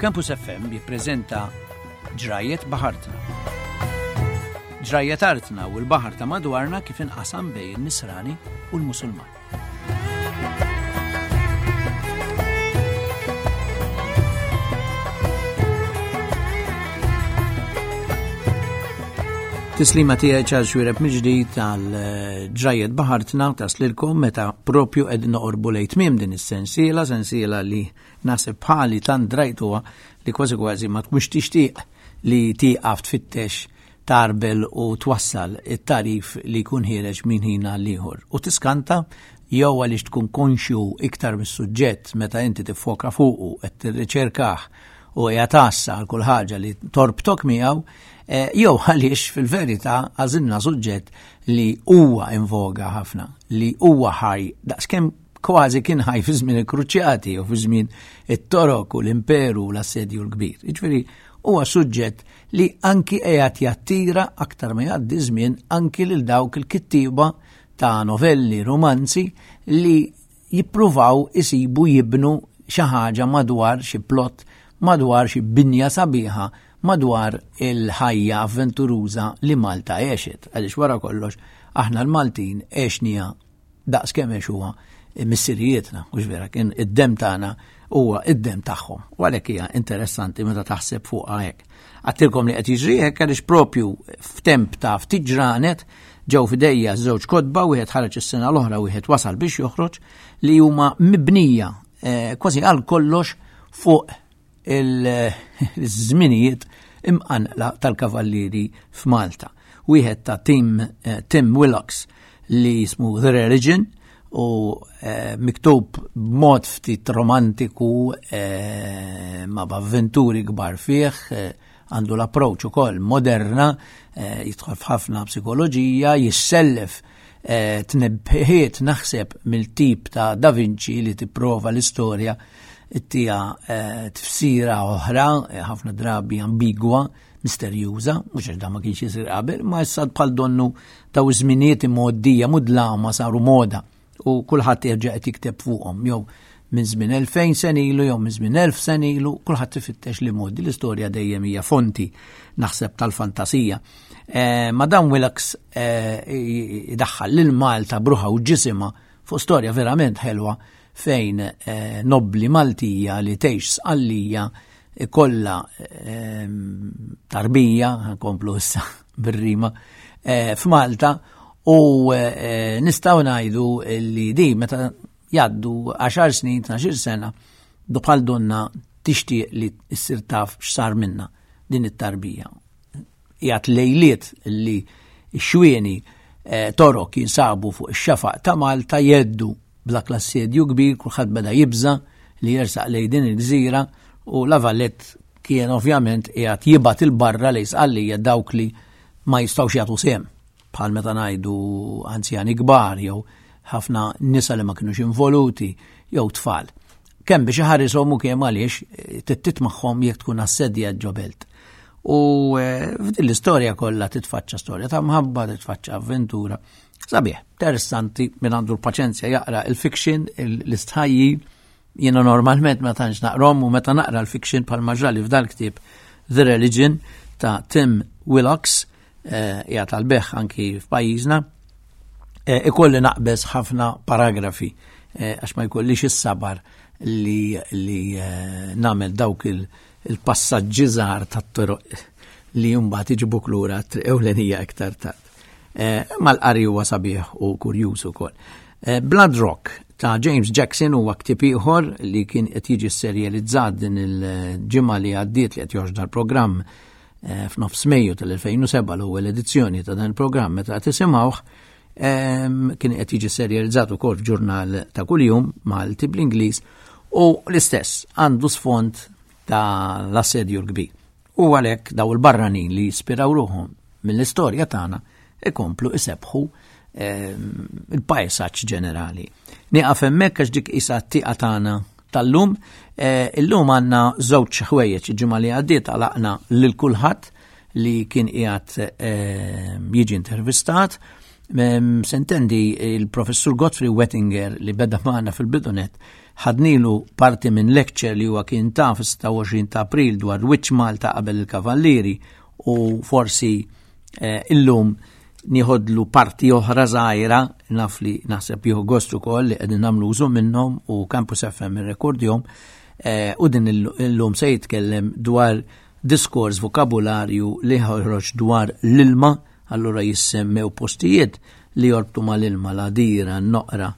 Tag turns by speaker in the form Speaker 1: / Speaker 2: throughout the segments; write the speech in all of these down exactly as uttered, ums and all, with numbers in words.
Speaker 1: Campus F M jippreżenta Ġrajiet Baħartna. Ġrajiet artna u l-baħar ta' madwarna kif inqasam bejn in-Nisrani u l-Musulman. Tislima tiegħi, Charles Xuereb, mill-ġdid għal eh, Ġrajiet Baħartna taslilkom meta propju qed noqorbu lejn tmiem din is-sensiela, sensiela li naħseb bħali tant drajtuha li kważi kważi ma tkunx tixtieq li tieqaf tfittex tarbel u twassal it-tarif li jkun ħiereġ minn ħin għal ieħor. U tiskanta jew għaliex tkun konxju iktar mis-suġġett meta inti tiffoka fuqu qed tirriċerkah u hija tassa għal kull ħaġa li torbtok miegħu, eh, jew għaliex fil-verità għażilna suġġett li huwa in voga ħafna, li huwa ħaj daqskemm kważi kien ħaj fi żmien il-Kruċjati u fi żmien it-Torok u l-Imperu u l-Assedju l-Kbir. Jiġifieri huwa suġġett li anki qiegħed jattira aktar ma jgħaddi żmien anki lil dawk il-kittiba ta' novelli, romanzi li jippruvaw isibu jibnu xi ħaġa madwar xi plot, madwar xi binja sabiħa, madwar il-ħajja avventuruża li Malta għexet. Għaliex wara kollox aħna l-Maltin għexnieha daqs kemm għexuha missirijietna, mhux vera, kien id-dem tagħna huwa id-dem tagħhom. U għalhekk hija interessanti meta taħseb fuqha hekk. Għedtilkom li qed jiġri hekk għaliex propju f'temp ta' ftit ġranet ġew f'idejja żewġ kotba, wieħed ħareġ is-sena l-oħra, wieħed wasal biex joħroġ, li huma mibnija eh, kważi għal kollox fuq il-żminijiet imqanqla tal-kavallieri f'Malta. Wieħed ta' Tim, eh, Tim Willocks li jismu The Religion u eh, miktub b'mod ftit romantiku eh, ma b'avventuri kbar fih, eh, għandu l-approach ukoll moderna, eh, jidħol f'ħafna psikoloġija, jissellef eh, tnebħiet naħseb mill-tip ta' Da Vinci li tipprova l-istorja ttiha eh, tifsira oħra, eh, ħafna drabi ambigwa, misterjuża, mhux għax da ma kienx jisir qabel, ma issa bħal donnu daw iż-żminijiet imgħoddija mudlama saru moda u kulħadd jerġa' qed jikteb fuqhom jew minn żmien elfejn sena ilu jew minn żmien elf sena ilu, kulħadd ifittex li modi l-istorja dejjem hija fonti naħseb tal-fantasija. Eh, Madam Willocks eh, idaħħal lil Malta b'ruħha u ġisimha fuq storja verament ħelwa fejn eh, nobli Maltija li tgħix Sqallija kollha eh, tarbija, nkomplu issa bir-rima, eh, f'Malta u eh, nistgħu ngħidu li di meta jgħaddu għaxar snin, tnax-il sena, du bħal donna tixtieq li ssir taf x'sar minna din it-tarbija. Jgħat lejliet li x-xwieni eh, Torok jinsabu fuq ix-xafaq ta' Malta jeddu b'dak l-assedju kbir, kulħadd beda jibża li jersaq lejn din il-gżira u La Valette kien ovvjament qiegħed jibgħat il-barra lejn Sqallija dawk li ma jistgħux jagħtu sehem, bħal meta ngħidu anzjani kbar jew ħafna nisa li ma kinux involuti jew tfal. Kemm biex iħarishom u kemm għaliex eh, tittit magħhom jekk tkun assedja ġo belt. U eh, f'din l-istorja kollha titfaċċa storja ta' mħabba, titfaċċa avventura. Sabiħ, interessanti min għandu l-paċenzja jaqra il-fiction, l-istħajji, jiena normalment ma tantx naqrom u meta naqra l-fiction bħal maġrali f'dal ktieb The Religion ta' Tim Willocks, eh, qiegħed tal-beħ anki f'pajjiżna, eh, ikolli naqbeż ħafna paragrafi eh, għax ma jkollix is-sabar li, li nagħmel dawk il-passaġġi żgħar tat-toroq li mbagħad iġibuk lura triq ewlenija iktar tard. Mal-qari huwa sabiħ u kurjuż ukoll. Blood Rock ta' James Jackson huwa ktieb ieħor li kien qed jiġi serializzat din il-ġimgħa li għaddiet li qed joħroġ dal-programm eh, f'nofs Mejju tal-elfejn u sebgħa, l-ewwel edizzjoni ta' dan il-programm meta qed tisimgħuh, kien qed jiġi serializzat ukoll f'ġurnal ta' kuljum Malti bl-Ingliż u l-istess għandu sfond ta' l-Assedju l-Kbir. U għalhekk daw il-barranin li jispiraw ruħhom mill-istorja tagħna ikomplu isebħu il-pajsaġġ ġenerali. Nieqaf hemmhekk għax dik isa t-tieqa tagħna tal-lum. Eh, illum għandna żewġ ħwejjeġ. Il-ġimgħa li għaddiet għalaqna lil kulħadd li kien qiegħed jiġi intervistat. Sentendi il-professur Godfrey Wettinger li beda magħna fil-bidunet ħadnilu parti minn lecture li huwa kien ta' fis-sitta u għoxrin ta' April dwar Wiċċ Malta qabel il-Kavallieri u forsi eh, illum nieħodlu parti oħra żgħira, naf li naħseb jieħu gost ukoll li qegħdin nagħmlu użu minnhom u Campus F M irrekordjhom, eh, u din illum se jitkellem dwar diskors vokabularju li ħoroġ dwar l-ilma, allura jissemmew postijiet li jorbtu mal-ilma, l-għadira, n-noqra,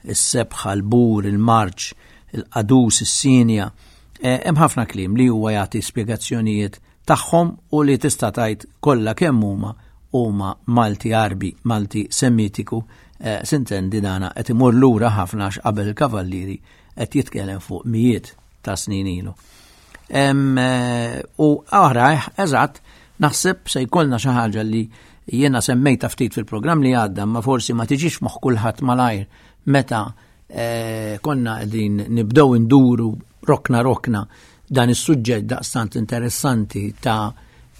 Speaker 1: is-sebħa, l-bur, il-marċ, il-qadus, is-sinja. Eh, hemm ħafna kliem li huwa jagħti spjegazzjonijiet tagħhom u li tista' tgħid kollha kemm huma huma Malti Għarbi, Malti Semitiku, eh, sintendi dana qed imur lura ħafna għax qabel il-Kavallieri qed jitkellem fuq mijiet ta' snin ilu. Em, eh, u oħra, eżatt, naħseb se jkollna xi ħaġa li jiena semmejta ftit fil-programm li għadda, ma forsi ma tiġix moħħ kulħadd malajr meta, eh, konna qegħdin nibdew induru rokna rokna dan is-suġġett daqstant interessanti ta'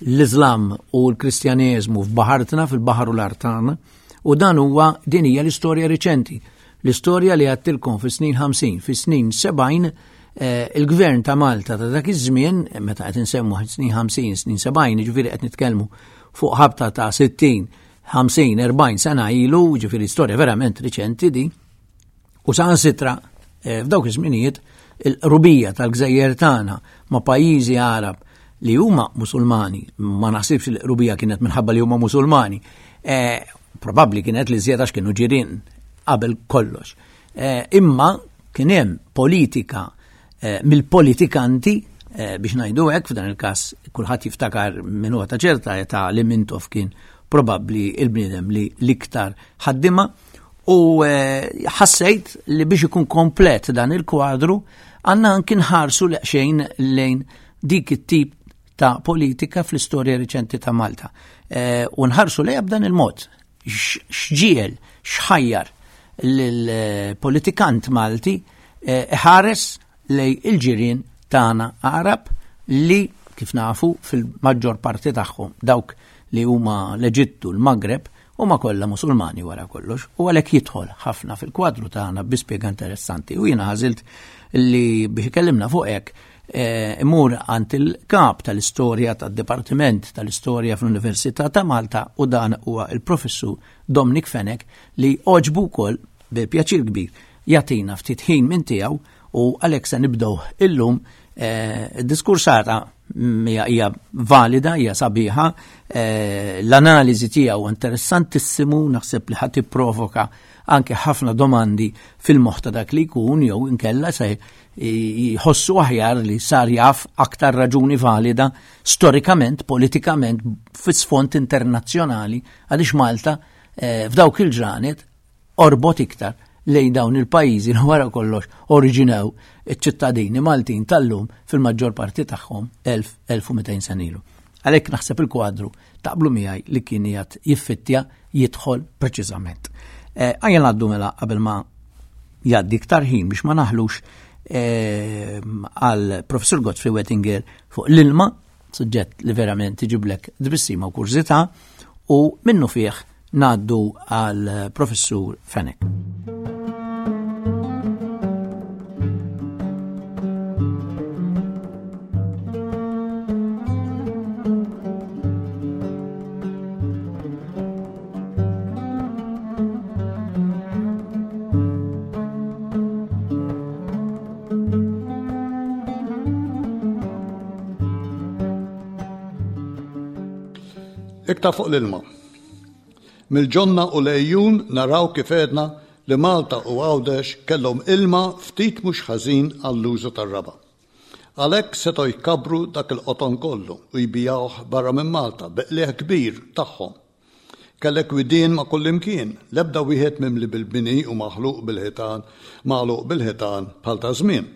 Speaker 1: l-Islam u l-Kristjaneżmu f'baħartna, fil-baħar u l-art tagħna, u dan huwa din hija l-istorja riċenti. L-istorja li għattilkom fis-snin ħamsin, fis-snin sebgħin, eh, il-gvern ta' Malta ta' dak iż-żmien, meta qed insemmu snin ħamsin, snin sebgħin, jiġifieri qed nitkellmu fuq ħabta ta' sittin, ħamsin, erbgħin sena ilu, jiġifieri storja verament riċenti di, u saħansitra, eh, f'dawk iż-żminijiet il-qrubija tal-gżejjer tagħna ma' pajjiżi Għarab li huma Musulmani, ma naħsibx li l-qrubija kienet minħabba li huma Musulmani, eh, probabbli kienet li żjed għax kienu ġirien qabel kollox. Eh, imma kien hemm politika, eh, mill-politikanti, eh, biex ngħidu hekk, f'dan il-każ kulħadd jiftakar minn huwa ta' ċerta età li Mintoff kien probabbli il-bniedem li l-iktar ħaddima, u, eh, ħassejt li biex ikun komplet dan il-kwadru għandna anki nħarsu xejn lejn dik it-tip ta' politika fl-istorja riċenti ta' Malta. Eh, u nħarsu lejha b'dan il-mod. X-, x'ġiel, x'ħajjar lill-politikant Malti, eh, ħares lej il-ġirien tagħna Għarab li kif nafu fil-maġġor parti tagħhom dawk li huma l-Eġittu, l-Maghreb, huma kollha Musulmani wara kollox, u għalhekk jidħol ħafna fil-kwadru tagħna bi spjega interessanti. U jiena ħażilt li biex ikellimna fuq hekk, eh, imur għand il-kap tal-istorja tad-Dipartiment tal-Istorja fl-Università ta' Malta, u dan huwa il-Professur Dominic Fenech li għoġbu wkoll bi pjaċir kbir jagħtina ftit ħin minn tiegħu, u għalhekk se nibdew illum, eh, id-diskursata hija, hija valida, hija sabiħa, eh, l-analiżi tiegħu interessantissimu, naħseb li ħadd tipprovoka anke ħafna domandi fil-moħħ ta' dak li jkun, jew inkella se jħossu aħjar li sar jaf aktar raġuni valida storikament, politikament, fis-sfond internazzjonali, għaliex Malta, eh, f'dawk il-ġranet orbot iktar lejn dawn il-pajjiżi li wara kollox oriġinaw iċ-ċittadini Maltin tal-lum fil-maġġor parti tagħhom elf, elf u mitejn sena ilu. Għalhekk naħseb il-kwadru taqblu miegħi li kien qiegħed jiffittja jidħol preċiżament. Eh, ejja ngħaddu mela qabel ma jgħaddi iktar ħin biex ma naħlux, eh, għal Professur Godfrey Wettinger fuq l-ilma, suġġett li verament iġiblek tbissima u kurżità, u minnu fih ngħaddu għal Professur Fenech.
Speaker 2: Iktar fuq l-ilma. Mill-ġonna u l-ejjun naraw kif għedna li Malta u Għawdex kellhom ilma ftit mhux ħażin għall-użu tar-raba. Għalhekk setgħu jkabru dak il-qoton kollu u jbijawh barra minn Malta bi qligħ kbir tagħhom. Kellek widien ma' kullimkien, l-ebda wieħed mimli bil-bini u maħluq bil-ħitan, magħluq bil-ħitan bħal ta' żmien.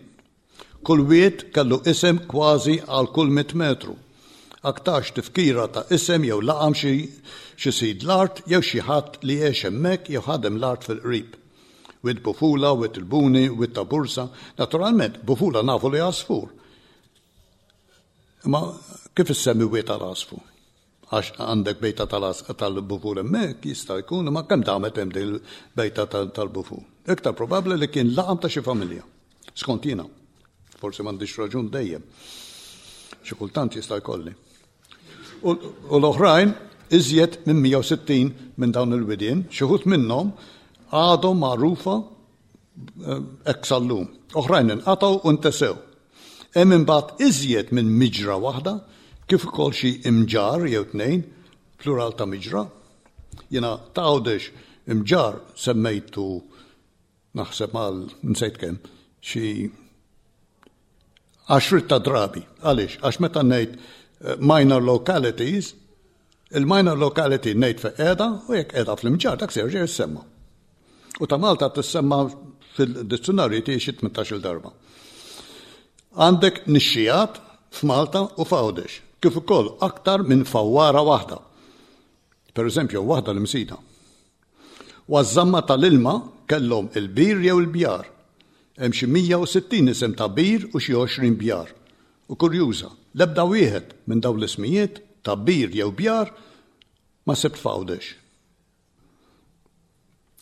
Speaker 2: Kull wied kellu isem kważi għal kull mitt metru. Aktarx tifkira ta' isem jew laqam xi, xi sid l-art jew xi ħadd li għex hemmhekk jew ħadem l-art fil-qrib. Wied Bufula, Wied il-Buni, Wied ta' Bursa, naturalment Bufula nafu li għasfur. Imma kif issemmi wied tal-għasfur? Għax għandek bejta tal-bufur hemmhekk jista' jkun, ma kemm damet hemm din il-bejta tal-bufur. Iktar probabbli li kien laqam ta' xi familja. Skont jiena. Forsi m'għandix raġun dejjem. Xi kultant jista' jkolli. U l-oħrajn iżjed minn mija u sittin minn dawn il-widien, xi wħud minnhom għadhom magħrufa hekk sal-lum. Oħrajn inqatgħu u ntesew. Hemm imbagħad iżjed minn miġra waħda, kif ukoll xi imġar jew tnejn, plural ta' miġra. Jiena ta' Għawdex imġar semmejtu naħseb mal nsejt kemm, xi għaxriet ta' drabi. Għaliex? Għax meta ngħid minor localities, il-minor locality ngħid fejn qiegħda u jekk qiegħda fl-imġar dak se jerġa' jissemma. U ta' Malta tissemma fil-dizzjonarju tiegħi xi tmintax-il darba. Għandek nixxijat f'Malta u f'Għawdex, kif ukoll aktar minn fawwara waħda. Per eżempju, waħda l-Imsida. U għaż-żamma tal-ilma kellhom il-bir jew il-bjar. Hemm xi mija u sittin isem ta' bir u xi għoxrin bjar. U kurjuża, l-ebda wieħed minn dawn l-ismijiet ta' bir jew bjar ma sibt f'Għawdex.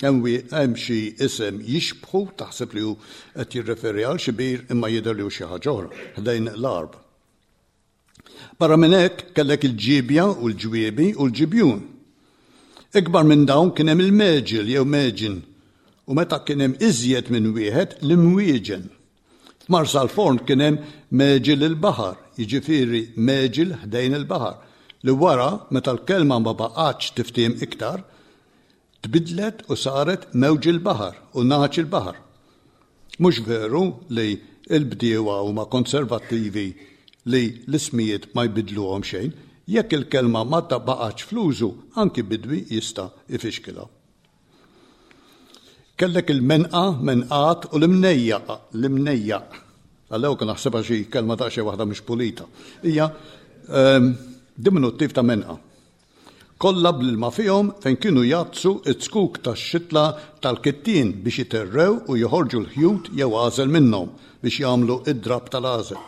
Speaker 2: Hemm xi isem jixbħu taħseb li hu qed jirreferi għal xi bir imma jidher li hu xi ħaġa oħra ħdejn l-Għarb. Barra minn hekk kellek il-ġibja u l-ġwiebi u l-ġibjun. Ikbar minn dawn kien hemm il-meġil jew meġin u meta kien hemm iżjed minn wieħed l-imwieġen. F'Marsalforn kien hemm meġil il-baħar, jiġifieri meġil ħdejn il-baħar, li wara meta l-kelma ma baqgħetx tiftiem iktar, tbidlet u saret mewġ il-baħar u naċ il-baħar. Mhux veru li l-bdiewa huma konservattivi li l-ismijiet ma jbidluhom xejn, jekk il-kelma ma baqgħetx fl-użu, anki bidwi jista' ifixkilha. Kellek il-menqa, menqat u l-imnejjaq, l-imnejjaq. Għallew kien naħsebha xi kelma ta' xi waħda mhux pulita. Hija, ehm, diminuttiv ta' menqa. Kollha bl-ilma fihom fejn kienu jgħaddsu it-skuk tax-xitla tal-kittien biex jiterrew u joħorġu l-ħjut jew għażel minnhom biex jagħmlu id-drab tal-għażel.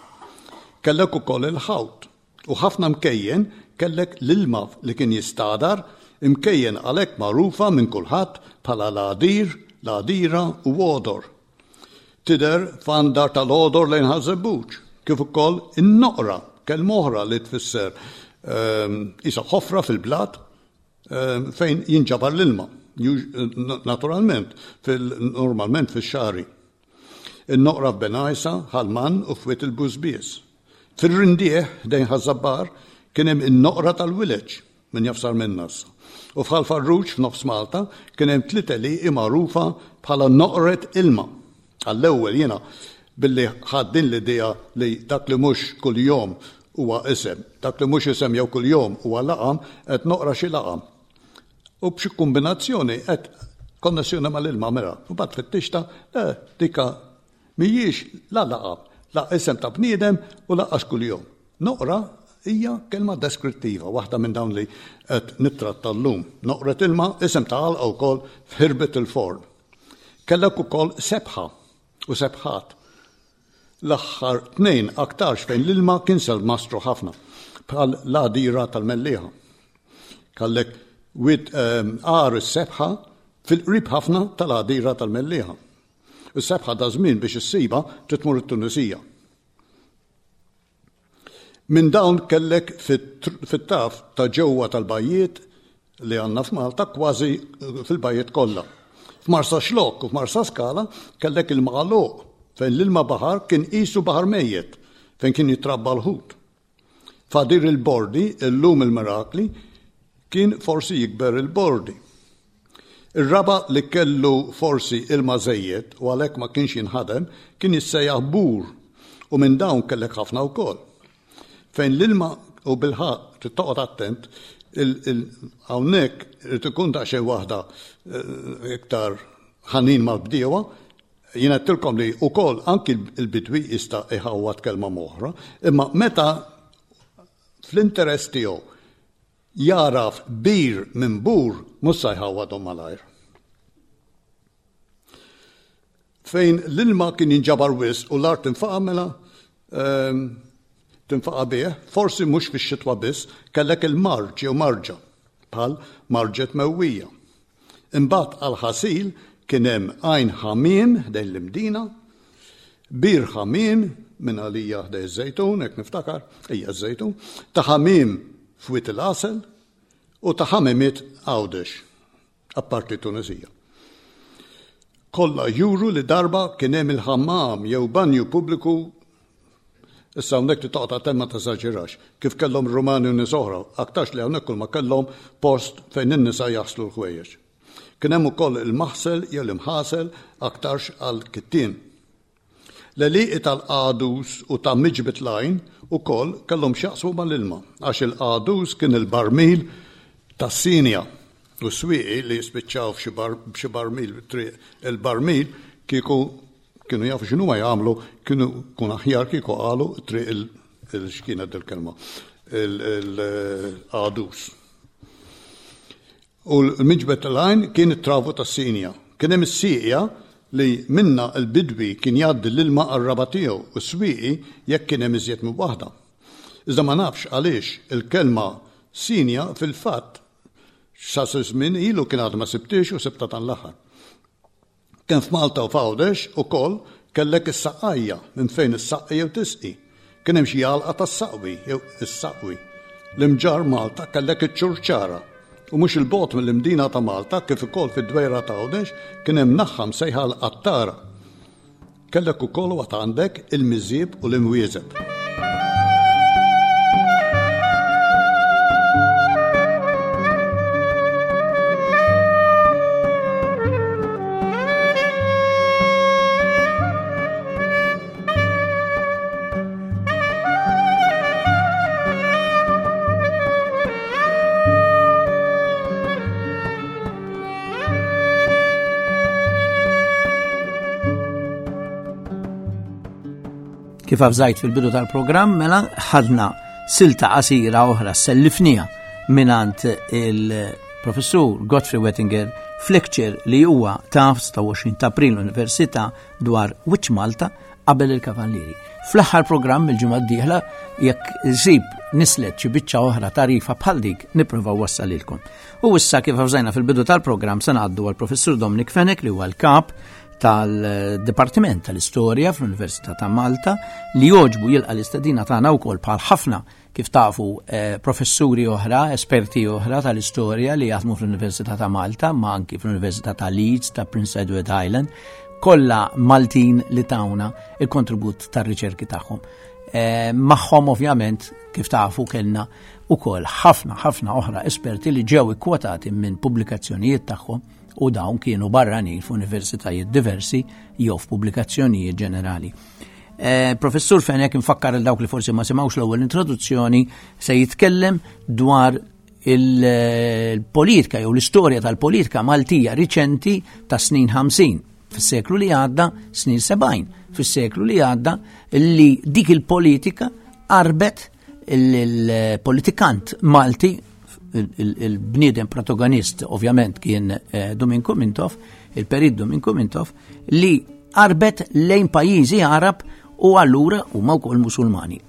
Speaker 2: Kellek ukoll il-ħawt u ħafna mkejjen kellek l-ilma li kien jistadar, imkejjen għalhekk magħrufa minn kulħadd bħala l-għadir, l-għadira u għodor. Tidher f'għandar tal-għodor lejn Ħaż-Żebbuġ, kif ukoll in-noqra, kelma oħra li tfisser, ehm, isa ħofra fil-blat, ehm, fejn jinġabar l-ilma, ju-, naturalment, fil-, normalment fix-xagħri. In-noqra f'Bengħajsa, Ħalman u f'Wied il-Bużbies. Fir-Rindieħ, dejn Ħaż-Żabbar, kien hemm in-noqra tal-Wileġ, min jafsar minn nassa. U f'Ħal Farruġ f'nofs Malta kien hemm tliet għelieqi magħrufa bħala noqret ilma. Għall-ewwel jiena billi ħadd din l-idea li dak li mhux kuljum huwa isem, dak li mhux isem jew kuljum huwa laqam, qed noqra xi laqam. U b'xi kombinazzjoni qed konnessjoni mal-ilma mela. U bad fittixta, eh, dika mhijiex la laqam, la isem ta' bniedem u laqas kuljum. Noqra hija kelma deskrittiva, waħda minn dawn li qed nittratta llum. Noqret ilma, isem ta' għalqa wkoll f'Ħirbet il-Forn. Kellek ukoll sebħa u sebħat. L-aħħar tnejn aktarx fejn l-ilma kien selmastru ħafna, bħal l-għadira tal-Mellieħa. Kellek wid, ehm, għar is-sebħa fil-qrib ħafna tal-għadira tal-Mellieħa. Is-sebħa da żmien biex issiba trid tmur it-Tunisija. Minn dawn kellek fit-tr-, fit-taf ta' ġewwa tal-bajjiet li għandna f'Malta kważi fil-bajjiet kollha. F'Marsa Xlokk u f'Marsa Skala kellek il-magħluq fejn l-ilma baħar kien qisu baħar mejjet fejn kien jitrabba l-ħut. Fadir il-Bordi, illum il-Mirakli, kien forsi jikber il-Bordi. Ir-raba li kellu forsi ilma żejjed u għalhekk ma kienx jinħadem kien jissejjaħ bur u minn dawn kellek ħafna wkoll. Fejn l-ilma u bilħaqq trid toqgħod attent, il-, il-, hawnhekk irid ikun daqsxejn waħda, eh, iktar ħanin mal-bdiewa. Jien għedtilkom li wkoll anki l-bidwi jista' iħawwad kelma m'oħra, imma meta fl-interess tiegħu jaraf bir minn bur, mhux se jħawwadhom malajr. Fejn l-ilma kien jinġabar wisq u l-art infaqa' mela, ehm, tinfaqa' bih, forsi mhux fix-xitwa biss, kellek il-marġ jew marġa, bħal marġet mewwija. Imbagħad għall-ħasil kien hemm Għajn Ħamiem ħdejn l-Imdina, Bir Ħamiem minn għalija ħdej iż-Żejtun, hekk niftakar, hija ż-Żejtun, ta' Ħamiem f'Wied il-Għasel u ta' Ħamimiet Għawdex, apparti Tunisija. Kollha juru li darba kien hemm il-ħammam jew banju pubbliku. Issa hawnhekk li toqgħod attent ma teżaġerax, kif kellhom Rumani u nies oħra, aktarx li hawnhekk kull ma kellhom post fejn in-nisa jaħslu l-ħwejjeġ. Kien hemm ukoll il-maħsel jew l-imħasel aktarx għal kittien. L-għelieqi tal-qadus u ta' Miġbet l-Għajn ukoll kellhom x'jaqsmu mal-ilma, għax il-qadus kien il-barmil tas-sinja u s-swieqi li jispiċċaw f'xi barmil triq il-barmil kieku kienu jafu x'inhu ma jagħmlu, kienu kun aħjar kieku qalu triq il-x'kienet il-kelma, il-qadus. U l-Miġbet tal-Għajn kien it-travu tas-sinja. Kien hemm is-sieqja li minna l-bidwi kien jgħaddi l-ilma għar-raba' tiegħu u s-swieqi jekk kien hemm iżjed minn waħda. Iżda ma nafx għaliex il-kelma sinja fil-fatt sa żmien ilu kien għad ma sibtix u sibta tan l-aħħar. Kien f'Malta u f'Għawdex ukoll kellek is-saqqajja minn fejn is-saqqi jew tisqi. Kien hemm xi għalqa tas-saqwi jew is-saqwi. L-imġar Malta kellek iċ-ċurċara. U mhux il-bogħod mill-Imdina ta' Malta kif ukoll fid-Dwejra ta' Għawdex kien hemm naħħa msejħa l-qattara. Kellek ukoll waqt għandek il-miżieb u l-imwieżeb.
Speaker 1: Kif avżajt fil-bidu tal-programm, mela ħadna silta qasira oħra sellifnija minant il-professur Godfrey Wettinger f'lecture li huwa ta' sitta u għoxrin ta' April l-Università dwar Wiċċ Malta qabel il-Kavallieri. Fl-aħħar programm il-ġimgħa d-dieħla jekk żib nislet xi biċċa oħra tarifa bħal dik nipprova wassalilkom. U issa kif avżajna fil-bidu tal-programm se ngħaddu għall-professur Dominic Fenech li huwa l-kap tal-Dipartiment tal-Istorja fl-Università ta' Malta li jogħġbu jilqa' l-istedina tagħna wkoll bħal ħafna kif tafu, eh, professuri oħra, esperti oħra tal-istorja li jaħdmu fl-Università ta' Malta, ma anki fl-Università ta' Leeds, ta' Prince Edward Island, kollha Maltin li tawna il-kontribut tar-riċerki tagħhom. Eh, magħhom ovvjament kif tafu kellna ukoll ħafna ħafna oħra esperti li ġew ikkwotati minn pubblikazzjonijiet tagħhom u dawn kienu barranin f'universitajiet diversi jew f'pubblikazzjonijiet ġenerali. Eh, Professur Fenech, infakkar il dawk li forsi ma semgħux l-ewwel introduzzjoni, se jitkellem dwar il-politika jew l-istorja tal-politika Maltija riċenti ta' snin ħamsin fis-seklu li għadda, snin sebgħin fis-seklu li għadda, li dik il-politika qarbet il-politikant Malti, il-bniedem protagonist ovvjament kien, eh, Duminku Mintoff, il-perit Duminku Mintoff, li qarbet lejn pajjiżi Arab u allura huma wkoll Musulmani.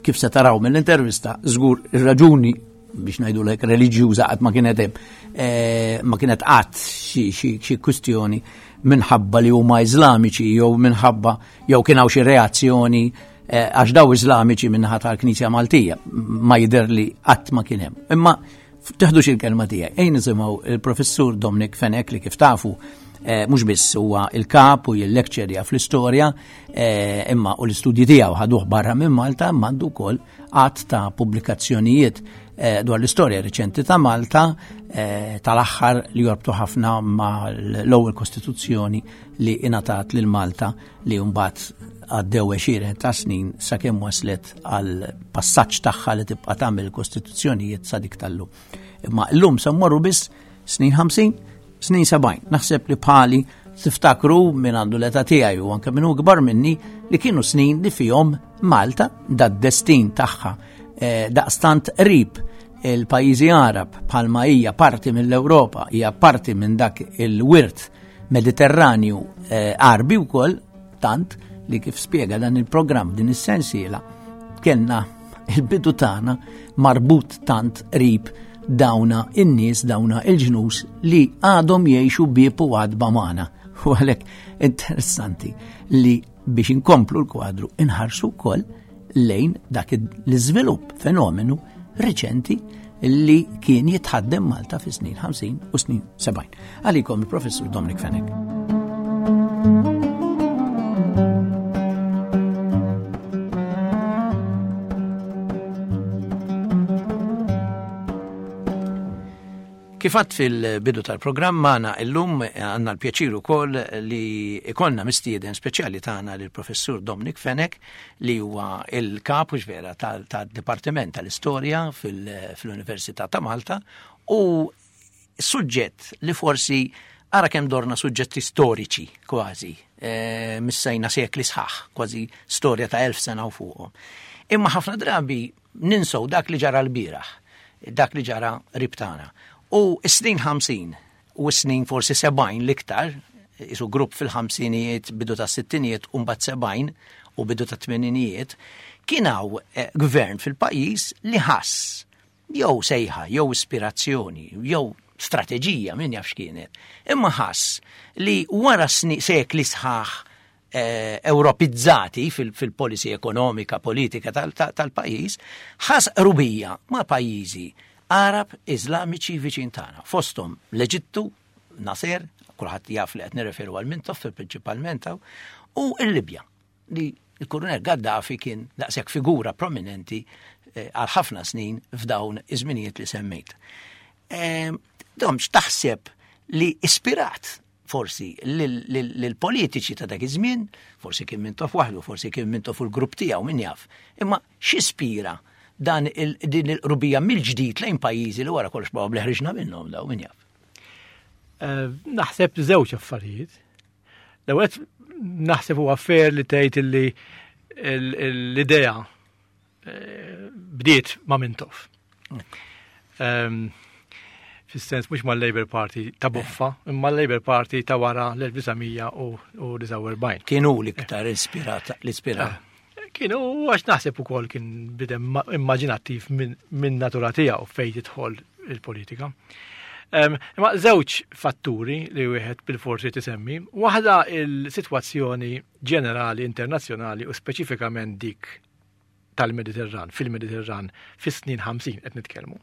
Speaker 1: Kif se taraw mill-intervista, żgur ir-raġuni biex ngħidu lek reliġjuża qatt ma kienet hemm, eh, ma kienet qatt xi, xi, xi kwistjoni minħabba li huma Iżlamiċi jew minħabba jew kien hawn xi reazzjoni, eh, għax daw Iżlamiċi minnaħa tal-Knisja Maltija, ma jidher li qatt ma kien hemm. Imma teħdux il-kelma tiegħi. Ejn nisimgħu il-professur Dominic Fenech li kif tafu, eh, mhux biss huwa il-kap u jil-lecture fl-istorja, eh, imma u l-istudji tiegħu ħaduh barra minn Malta, imma għandu wkoll għadd ta' pubblikazzjonijiet, eh, dwar l-istorja riċenti ta' Malta, eh, tal-aħħar li jorbtu ħafna ma' l-ewwel kostituzzjoni li ingħatat lil Malta li mbagħad għaddew għexieren ta' snin sakemm waslet għal passaġġ tagħha li tibqa' tagħmel kostituzzjonijiet sa dik tal-lum. Imma llum se mmorru biss snin ħamsin, snin sebgħin. Naħseb li bħali tiftakru minn għandu l-età tiegħi u anke minn hu kbar minni li kienu snin li fihom Malta dad-destin tagħha, eh, daqstant qrib il-pajjiżi Arab bħalma hija parti mill-Ewropa, hija parti minn dak il-wirt Mediterranju, eh, Arbi wkoll, tant li kif spjega dan il-programm din is-sensiela kellna Il-bidu tagħna marbut tant qrib dawna in-nies, dawna il-ġnus li għadhom jgħixu bieb u għadba magħna. U għalhekk interessanti li biex inkomplu l-kwadru inħarsu wkoll lejn dak l-iżvilupp fenomenu reċenti li kien jitħaddem Malta fi snin ħamsin u snin sebgħin. Għalikom il-Professur Dominic Fenech. Kif għadt fil-bidu tal-programm magħna illum għandna l-pjaċir ukoll li ikollna mistieden speċjali tagħna lill-Professur Dominic Fenech li huwa il-kap u vera tad-Dipartiment tal-Istorja fil-Università ta' Malta u suġġett li forsi ara kemm dorna suġġetti storiċi kważi, missejna sekli sħaħ, kważi storja ta' elf sena u fuqhom. Imma ħafna drabi ninsew dak li ġara l-bieraħ, dak li ġara ribtana. U s-snin ħamsin u s-snin forsi sebgħin l-iktar, isu grupp fil-ħamsinijiet, bidu ta' sittinijiet, u mbagħad sebgħin u bidu ta' tmeninijiet, kien hawn gvern fil-pajjiż li ħass jew sejħa, jew ispirazzjoni, jew strateġija, min jaf x'kienet, imma ħass li wara sekli sħaħ Ewropizzati fil-policy ekonomika, politika tal-pajjiż, ħass qrubija ma' pajjiżi Arab Iżlamiċi viċin tagħna, fosthom l-Eġittu, Nasser, kulħadd jaf li qed nirreferu għal Mintoff prinċipalment hawn, u l-Libja, li l-Kurunell Gaddafi kien daqshekk figura prominenti għal ħafna snin f'dawn iż-żminijiet li semmejt. Dom x'taħseb li ispirat forsi lill-politiċi ta' dak iż-żmien, forsi kien Mintoff waħdu, forsi kien Mintoff u l-grupp tiegħu, min jaf, imma x'ispira dan din il-qrubija mill-ġdid lejn pajjiżi li wara kollox probabbli ħriġna minnhom daw, min jaf.
Speaker 3: Naħseb żewġ affarijiet. L-ewwel naħseb huwa fair li tgħid illi l-idea bdiet ma' Mintoff. Fis-sens mhux mal-Labour Party ta' boffa, imma l-Labour Party ta' wara l-elf disa' mija u disgħa u erbgħin.
Speaker 1: Kienu l-iktar ispirat, l-ispirat.
Speaker 3: Kienu, għax naħseb ukoll kien bidem immaġinattiv minn natura tiegħu fejn tidħol il-politika. Imma żewġ fatturi li wieħed bil-forsi tisemmi, waħda il-sitwazzjoni ġenerali internazzjonali u speċifikament dik tal-Mediterran, fil-Mediterran fis-snin ħamsin qed nitkellmu.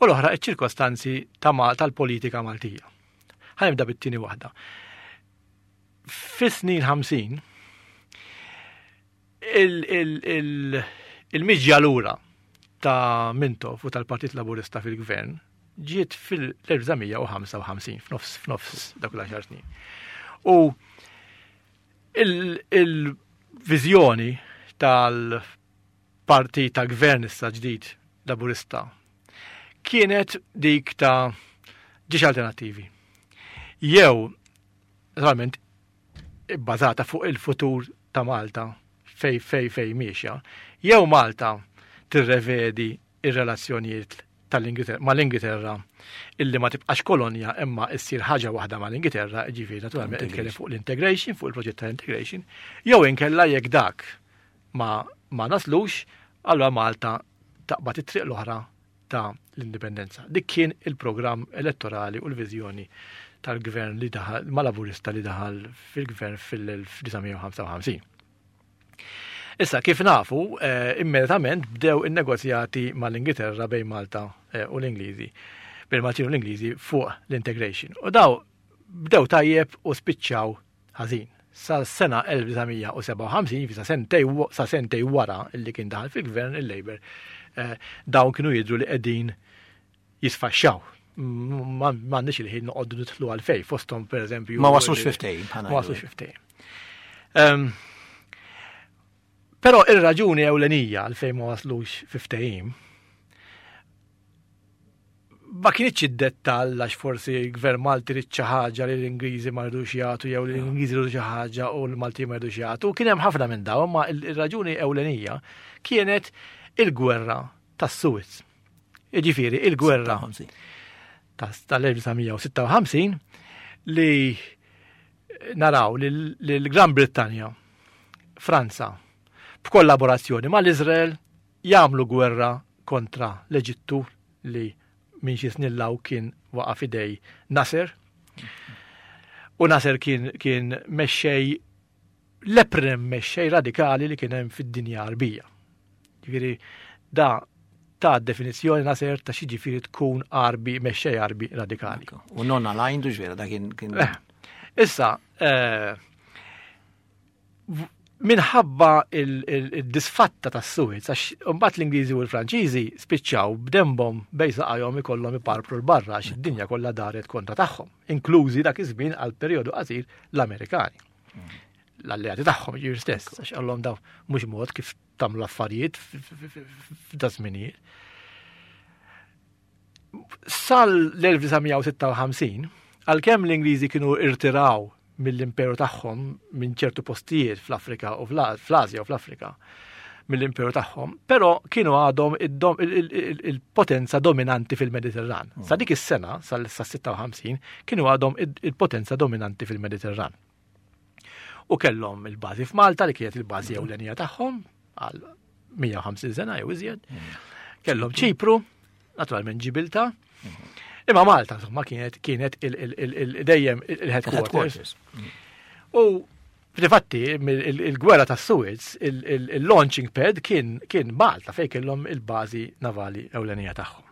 Speaker 3: U l-oħra iċ-ċirkostanzi tal-politika Maltija. Ħa nibda bit-tieni waħda. Fis-snin ħamsin il-miġja lura ta' Mintoff u tal-Partit Laburista fil-Gvern ġiet fil-elf disa' mija u ħamsa u ħamsin, f'nofs, f'nofs dak l-għaxar snin. U il-viżjoni tal-partit tal-gvern issa ġdid Laburista kienet dik ta' ġiex alternattivi. Jew, naturalment, bbażata fuq il-futur ta' Malta fej fej fej miexja, jew Malta tirrevedi ir-relazzjonijiet tal-Ingilterra mal-Ingilterra illi ma tibqax kolonja imma issir ħaġa waħda mal-Ingilterra, ġifieri naturalment nitkellem fuq l-integration, fuq il-proġett tal-integration, jew inkella jekk dak ma, ma naslux, allura Malta taqbad it-triq l-oħra ta' l-indipendenza. Dik kien il-programm elettorali u l-viżjoni tal-gvern li daħal, ma' Laburista li daħal fil-gvern fil-elf disa' mija u ħamsa u ħamsin. Issa, kif nafu, eh, immedjatament bdew in-negozjati mal-Ingilterra bejn Malta, eh, u l-Ingliżi, bejn Maltin u l-Ingliżi fuq l-integration. U daw bdew tajjeb u spiċċaw ħażin. Sa sena elf disa' mija u sebgħa u ħamsin, fi sa sentej wa-, sa sentej wara li kien daħal fil-gvern il-Labour, eh, dawn kienu jidhru li qegħdin jisfaxxaw. Ma m'għandniex il-ħin noqogħdu nidħlu għalfejn, fosthom pereżempju
Speaker 1: Ma waslux fiftejn, bħala
Speaker 3: Ma waslux fiftejn. Ehm, però ir-raġuni ewlenija għalfejn ma waslux fiftejn ma kienx id-dettall għax forsi l-gvern Malti ried xi ħaġa li l-Ingliżi ma rridux jagħtu jew li l-Ingliżi rridu xi ħaġa u l-Malti ma rridux jagħtu. Kien hemm ħafna minn dawn, imma il-raġuni ewlenija kienet il-gwerra tas-Suez. Jiġifieri il-gwerra tal-elf disa' mija u sitta u ħamsin li naraw li l-Gran Brittanja, Franza, b'kollaborazzjoni mal-Iżrael Jagħmlu gwerra kontra l-Eġittu li minn xi snin law kien waqa' f'idej Nasser. U Nasser kien kien mexxej l-eprem mexxej radikali li kien hemm fid-dinja Għarbija. Ġifieri da ta' definizzjoni Nasser ta' xi ġifieri tkun Għarbi, mexxej Għarbi radikali.
Speaker 1: U non aligned u ġvera, da kien. kien...
Speaker 3: Eh, issa, eh, minħabba il-disfatta ta' Suez, għax mbagħad l-Ingliżi u l-Franċiżi spiċċaw b'dembhom bejn saqajhom ikollhom iparpru l-barra għax id-dinja kollha daret kontra tagħhom, inklużi dak iż-żmien għal perjodu qasir l-Amerikani. L-alleati tagħhom ġir stess, għax qallhom daw mhux mod kif tagħmlu affarijiet f'da żminijiet. Sal l-elf disa' mija u sitta u ħamsin, għalkemm l-Ingliżi kienu irtiraw mill-imperu tagħhom minn ċertu postijiet fl-Afrika u fl-Asja u fl-Afrika mill-imperu tagħhom, però kienu għadhom id-dom-, il-, il-, il-, il-potenza dominanti fil-Mediterran.
Speaker 1: Mm.
Speaker 3: Sa dik is-sena, sal-, sa sitta u ħamsin, kienu għadhom id-, il-potenza dominanti fil-Mediterran. U kellhom il-bażi f'Malta li kienet il-bażi
Speaker 1: Mm.
Speaker 3: ewlenija tagħhom għal mija u ħamsin sena jew iżjed.
Speaker 1: Mm.
Speaker 3: Kellhom Ċipru, naturalment Ġibilta.
Speaker 1: Mm.
Speaker 3: Imma Malta insomma kienet, kienet il-, il-, il-, il-, dejjem il-headquarters.
Speaker 1: Headquarters.
Speaker 3: U fil-fatti, il-, il-, il-gwerra ta' Suez, il-, il-, il-launching pad kien, kien Malta fejn kellhom il-bażi navali ewlenija tagħhom.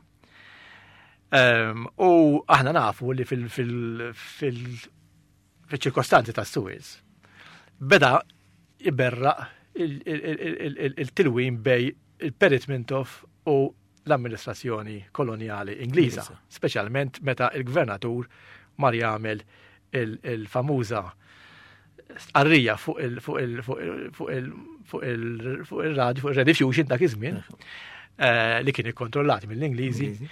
Speaker 3: Ehm, u aħna nafu li fil-, fil-, fil-, fil-ċirkostanzi ta' Suez beda iberraq il-, il-, il-, il-, il-, il-tilwim bej il-Perit Mintoff u l-amministrazzjoni koloniali Ingliża,
Speaker 1: Ingliża.
Speaker 3: speċjalment meta il-gvernatur mar jagħmel il-, il-famuża stqarrija fuq il-, fuq il-, fuq il-, fuq il-, fuq il-, fuq il-radio, fuq il-Rediffusion dak iż-żmien, eh, li kien ikkontrollati mill-Ingliżi,
Speaker 1: Ingliżi.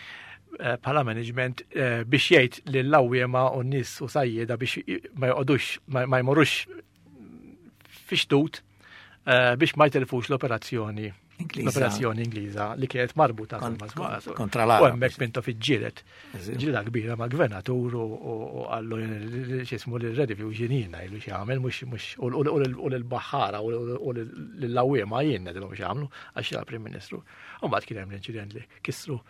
Speaker 3: eh, bħala management, eh, biex jgħid lill-għawwiema u n-nies u sajjieda biex i-, ma joqogħdux, ma, ma jmorrux fi xtut, eh, biex ma jtelfux l-operazzjoni
Speaker 1: Ingliża.
Speaker 3: L-operazzjoni Ingliża li kienet marbuta
Speaker 1: Kon-
Speaker 3: ma' ma'
Speaker 1: kon-, kontra l-Arab.
Speaker 3: U hemmhekk Mintoff iġġieled.
Speaker 1: Eżatt.
Speaker 3: Ġlieda kbira mal-gvernatur u, u, u qallu x'ismu lil Rediffusion jien ngħidlu x'jagħmel, mhux, mhux, u, u, u, u lill-baħħara u, u, u lill-għawwiema jien ngħidilhom x'jagħmlu għax era Prim Ministru. U mbagħad kien hemm l-inċident li kissru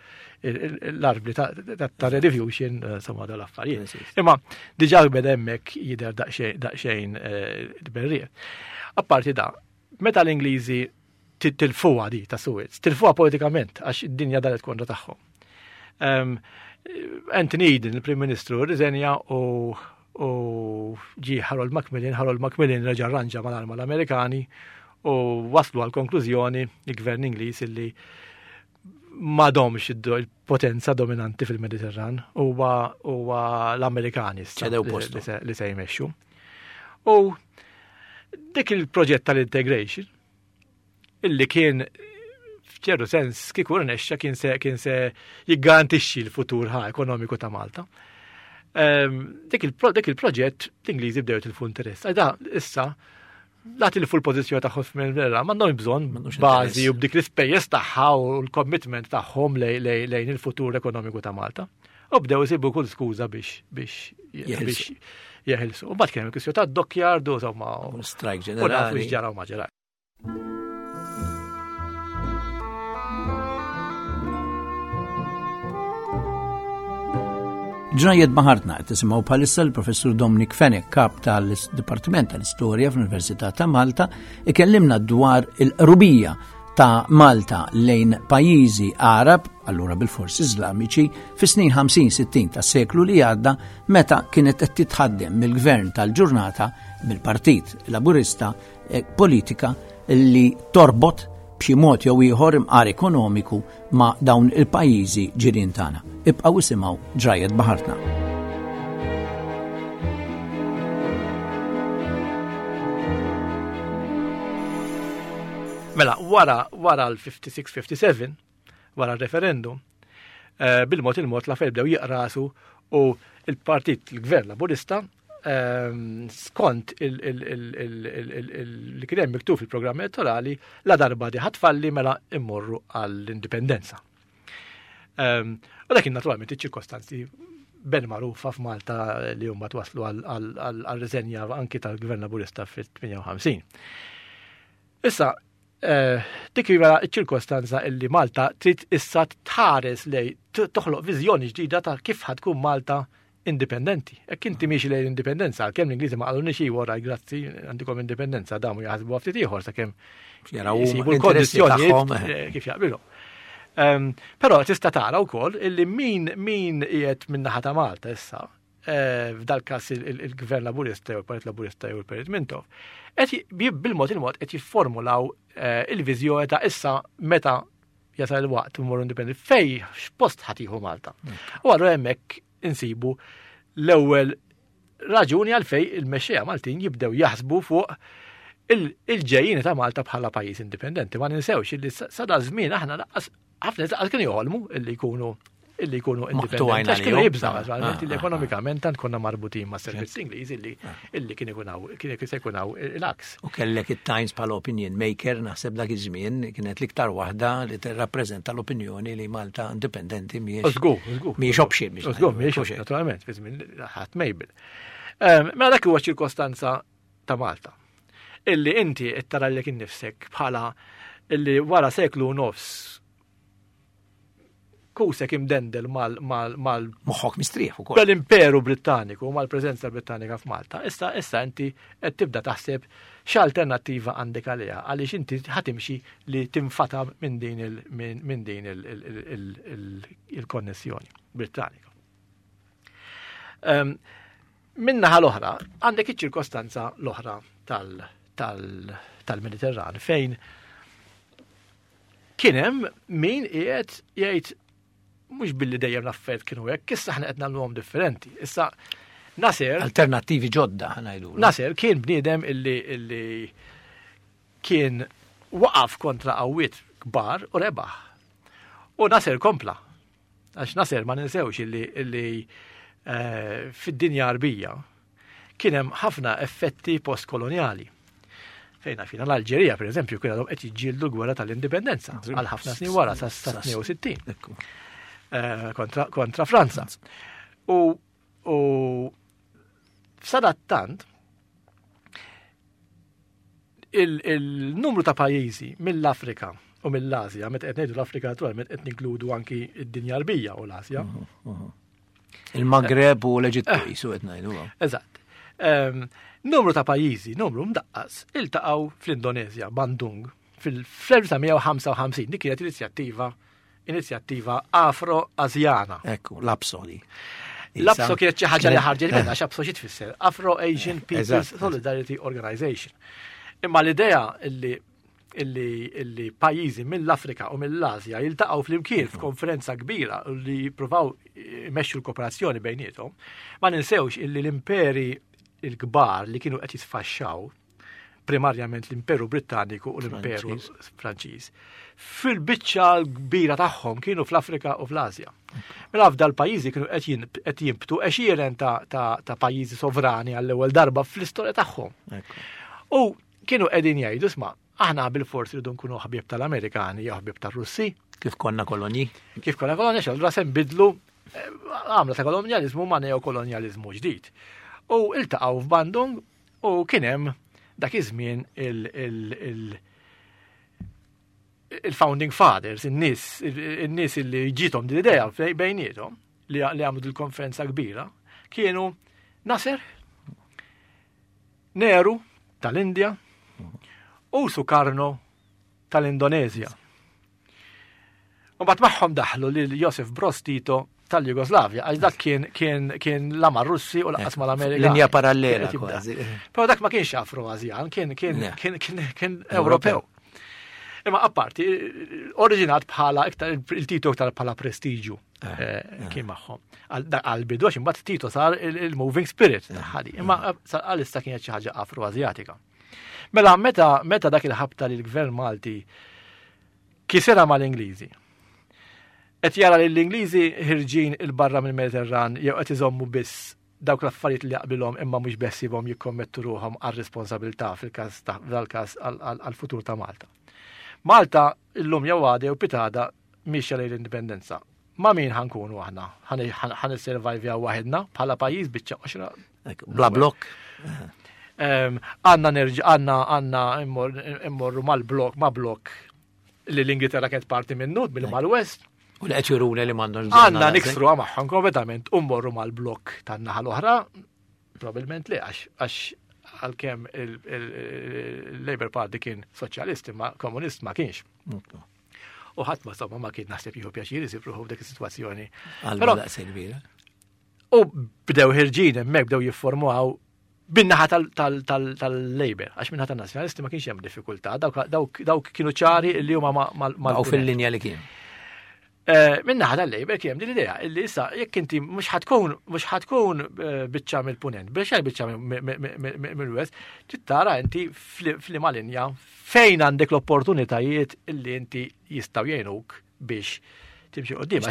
Speaker 3: il-, il-, l-arbli ta', ta', ta' Rediffusion, eh, insomma, dal-affarijiet.
Speaker 1: Eżatt.
Speaker 3: Imma diġà beda hemmhekk jidher daqsxejn, daqsxejn, eh, berrieq. Apparti da, meta l-Ingliżi ti-, tilfuha di ta' Suez, tilfuha politikament għax id-dinja daret kontra tagħhom. Ehm, Anthony Eden, il-Prim Ministru, rriżenja u, u ġie Harold Macmillan, Harold Macmillan reġa' rranġa mal-arma l-Amerikani u waslu għal konklużjoni il-Gvern Ingliż illi m'għadhomx id-do-, il-potenza dominanti fil-Mediterran, huwa, huwa l-Amerikani issa
Speaker 1: ċedew
Speaker 3: li se-,
Speaker 1: postu.
Speaker 3: li se-, li se jmexxu. U dik il-proġett tal-integration illi kien f'ċertu sens kieku rnexxa kien se, kien se jiggarantixxi l-futur ħa ekonomiku ta' Malta. Ehm, dik il-pro-, dik il-proġett l-Ingliżi bdew jitilfu interess. Għal da issa la tilfu l-pożizzjoni tagħhom fil-Mediterran, m'għandhom bżonn
Speaker 1: M'għandhomx
Speaker 3: bażi
Speaker 1: interess.
Speaker 3: u b'dik l-ispejjeż tagħha u l-commitment tagħhom lej-, lej-, lejn il-futur ekonomiku ta' Malta. U bdew isibu kull skuża biex, biex
Speaker 1: Jeħilsu.
Speaker 3: biex jeħilsu. U mbagħad kien hemm il-kwistjoni tad-dockyard u insomma,
Speaker 1: U l-strike
Speaker 3: u nafu
Speaker 1: ġenerali.
Speaker 3: x'ġara u ma ġara.
Speaker 1: Ġrajiet Baħartna qed tisimgħu bħalissa l-Professur Dominic Fenech, kap tal-Dipartiment tal-Istorja fl-Università ta' Malta, ikellimna dwar il-qrubija ta' Malta lejn pajjiżi Għarab, allura bil-forsi Iżlamiċi, fis-snin ħamsin sittin tas-seklu li għadda, meta kienet qed titħaddem mill-gvern tal-ġurnata mill-Partit Laburista, eh, politika li torbot b'xi mod jew ieħor imqar ekonomiku ma' dawn il-pajjiżi ġirien tagħna. Ibqgħu isimgħu Ġrajiet Baħartna.
Speaker 3: Mela, wara, wara l-fifty-six fifty-seven, wara r-referendum, eh, bil-mod il-mod l-affarijiet bdew jiqrasu u il-partit, il-gvern laburista, ehm, skont il-, il-, il-, il-, il-, il-, il-, li kien hemm miktub fil-programm elettorali, la darba di ħatfalli mela immorru għall-indipendenza. Ehm, u dak kien naturalment iċ-ċirkostanzi ben magħrufa f'Malta li huma twaslu għal, għal, għal, għal riżenja anki tal-Gvern Laburista fit-tmienja u ħamsin. Issa, Eh, dik hija ċ-ċirkostanza illi Malta trid issa tħares lej toħloq viżjoni ġdida ta' kif ħa tkun Malta indipendenti. Jekk inti miexi lejn l-indipendenza, għalkemm l-Ingliżi ma qalulniex iwa, grazzi, għandikom indipendenza, damu jaħsbu ftit ieħor sakemm
Speaker 1: jaraw
Speaker 3: jisibu
Speaker 1: l-interessi
Speaker 3: l-kondizzjonijiet
Speaker 1: tagħhom.
Speaker 3: eh, kif jaqbilhom. Um, Però tista' tara wkoll illi min min qiegħed min-naħa ta' Malta issa, eh, f'dal każ il-Gvern Laburista jew il-Partit Laburista jew il-Perit Mintoff, qed bil-mod il-mod qed jifformulaw eh, il-viżjoni ta' issa meta jasal il-waqt immorru indipendenti fej x'post ħa tieħu Malta. U allura hemmhekk insibu l-ewwel raġuni għalfej il-mexxejja Maltin jibdew jaħsbu fuq il-ġejjini ta' Malta bħala pajjiż indipendenti. Ma ninsewx illi sa da żmien aħna lanqas ħafna lanqas kienu joħolmu illi jkunu illi jkunu indipendenti. Għax kienu jibżgħu naturalment illi ekonomikament tant konna marbutin ma' servizz Ingliż illi illi kien ikun hawn kien se jkun hawn il-aks.
Speaker 1: U kellek it-Times bħala opinion maker, naħseb dak iż-żmien kienet l-iktar waħda li tirrappreżenta l-opinjoni li Malta indipendenti mhijiex.
Speaker 3: Żgur, żgur.
Speaker 1: Mhijiex option biex.
Speaker 3: Żgur, mhijiex naturalment, fi żmien ħadd Mejbel. Mela dak huwa ċirkostanza ta' Malta. Illi inti qed tara lilek innifsek bħala illi wara seklu u nofs kusek imdendel mal mal mal
Speaker 1: Moħħok mistrieħ ukoll.
Speaker 3: Bel-Imperu Britanniku, mal-preżenza Britannika f'Malta. Issa issa inti qed tibda taħseb x'alternattiva għandek għaliha, għaliex inti ħa timxi li tinfata minn din il minn din il-konnessjoni Britannika. Min-naħa l-oħra, għandek iċ-ċirkostanza l-oħra tal-Mediterran fejn kien hemm min qiegħed jgħid mhux billi dejjem l-affarijiet kienu hekk, issa aħna qed nagħmluhom differenti. Issa Nasser
Speaker 1: alternattivi ġodda ħa ngħidu.
Speaker 3: Nasser kien bniedem illi illi kien waqaf kontra qawwiet kbar u rebaħ. U Nasser kompla. Għax Nasser ma ninsewx illi illi eh, fid-dinja Arbija kien hemm ħafna effetti postkoloniali. Fejna fina l-Alġerija, per eżempju, kien għadhom qed jiġġieldu l-gwerra tal-indipendenza għal ħafna snin wara sa tnejn u sittin. Eh, kontra, kontra Franza. U, u sadattant il-numru ta' pajjiżi mill-Afrika u mill-Asja, meta qed ngħidu l-Afrika naturalment qed ninkludu anki id-dinja Arbija u l-Asja.
Speaker 1: Il-Magreb u l-Eġittu jisu qed ngħidu.
Speaker 3: Eżatt. Numru ta' pajjiżi, numru mdaqqas, iltaqgħu fl-Indonezja, Bandung, fil-elf disa' mija u ħamsa u ħamsin, dik kienet inizjattiva inizjattiva Afro-Asjana.
Speaker 1: Ekku, l-APSO di.
Speaker 3: L-APSO kienet xi ħaġa li ħarġet minnha, x'APSO xi tfisser? Afro-Asian People's Solidarity Organization. Imma l-idea illi illi illi pajjiżi mill-Afrika u mill-Asja jiltaqgħu flimkien f'konferenza kbira li jippruvaw jmexxu l-kooperazzjoni bejniethom, ma ninsewx illi l-imperi il-kbar li kienu qed jisfaxxaw, primarjament l-Imperu Britanniku u l-Imperu Franċiż, fil-biċċa l-kbira tagħhom kienu fl-Afrika u fl-Asja. Mela f'dal pajjiżi kienu qed jinbtu għexieren ta', ta, ta' pajjiżi sovrani għall-ewwel darba fl-istorja tagħhom. U kienu qegħdin jgħidu, "Isma', aħna bil-forsi rridu nkunu ħbieb tal-Amerikani jew ħbieb tar-Russi."
Speaker 1: Kif konna kolonji?
Speaker 3: Kif konna kolonji, x'allura se nbidlu eh, għamla ta' kolonjalizmu ma' neokolonjalizmu ġdid. U iltaqgħu f'Bandung u kien hemm dak iż-żmien il-founding fathers, in-nies, in-nies li ġiethom din l-idea bejniethom li għamlu dil-konferenza kbira, kienu Nasser, Nehru tal-Indja u Sukarno tal-Indonezja. U mbagħad magħhom daħlu lil Josef Broz Tito tal-Jugoslavja, għax dak kien kien kien la mar-Russi u lanqas mal-Amerika.
Speaker 1: Linja parallela kważi.
Speaker 3: Però dak ma kienx Afro-Asjan, kien kien kien kien kien Ewropew. Imma apparti, oriġinat bħala iktar il-Tito iktar bħala prestiġu eh, eh, kien magħhom. Għal-bidu għax imbagħad Tito sar il-moving spirit ħadi. Imma għalissa kienet xi ħaġa Afro-Asjatika. Mela meta meta dak il-ħabta li l-gvern Malti kisera mal-Ingliżi, qed jara li l-Ingliżi ħirġin il-barra mill-Mediterran jew qed iżommu biss dawk l-affarijiet li jaqbilhom imma mhux beħsiebhom jikkommettu ruħhom għar-responsabilità fil-każ dal-każ għall-futur ta' Malta. Malta illum jew għada jew pitgħada mixja lejn l-indipendenza. Ma' min ħa nkunu aħna? Ħa nissurvivjaw waħedna bħala pajjiż biċċa qoxra.
Speaker 1: Bla blok.
Speaker 3: Għandna nerġa' għandna għandna immorru mal-blok ma' blok li l-Ingilterra kienet parti minnu mill mal-West.
Speaker 1: U li qed juruna li m'għandhomx
Speaker 3: Għandna niksru magħhom kompletament u mmorru mal-blok tan-naħa l-oħra, probabbilment li għax għax għalkemm il-Labour Party kien soċjalist imma komunist ma kienx. U ħadd ma somma ma kien naħseb jieħu pjaċir isib ruħu f'dik is-sitwazzjoni.
Speaker 1: Però daqshekk kbira.
Speaker 3: U bdew ħerġin hemmhekk, bdew jiffurmuaw bin-naħa tal-Labour, għax min-naħa tan-Nazzjonalisti ma kienx hemm diffikultà, dawk kienu ċari li huma
Speaker 1: ma fil-linja li kien.
Speaker 3: Eh, min-naħa tal-Labour kien din l-idea illi issa jekk inti mhux ħa tkun mhux ħa tkun eh, biċċa mill-punent, biex biċċa mill-West, trid inti f'liema linja fejn għandek l-opportunitajiet illi inti jistgħu jgħinuk biex timxi quddiem.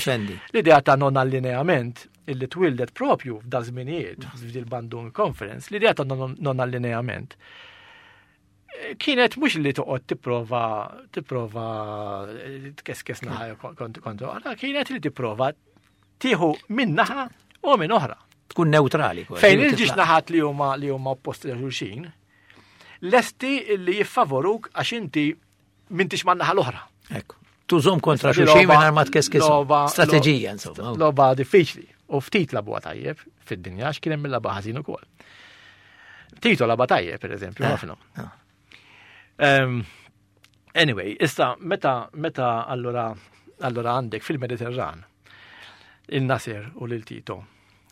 Speaker 3: L-idea ta' non allineament illi twildet propju f'da żminijiet f'dil Bandung Conference, l-idea ta' non allineament kienet mhux li toqgħod tipprova tipprova tkeskes naħa kontra, kienet li tipprova tieħu minn naħa u minn oħra.
Speaker 1: Tkun neutrali.
Speaker 3: Fejn il-żewġ naħat li huma li huma opposti lil xulxin, lesti li jiffavoruk għax inti m'intix man-naħa l-oħra.
Speaker 1: Ekku. Tużhom kontra xulxin mingħajr ma tkeskis. Strateġija, insomma.
Speaker 3: Logħba diffiċli. U ftit lagħbuha tajjeb fid-dinja għax kien hemm il-lagħba ħażin ukoll. Tito lagħabha tajjeb, per eżempju, ah, ħafna. Ah. Um, anyway, issa meta meta allura allura għandek fil-Mediterran il-Nasser u lil Tito,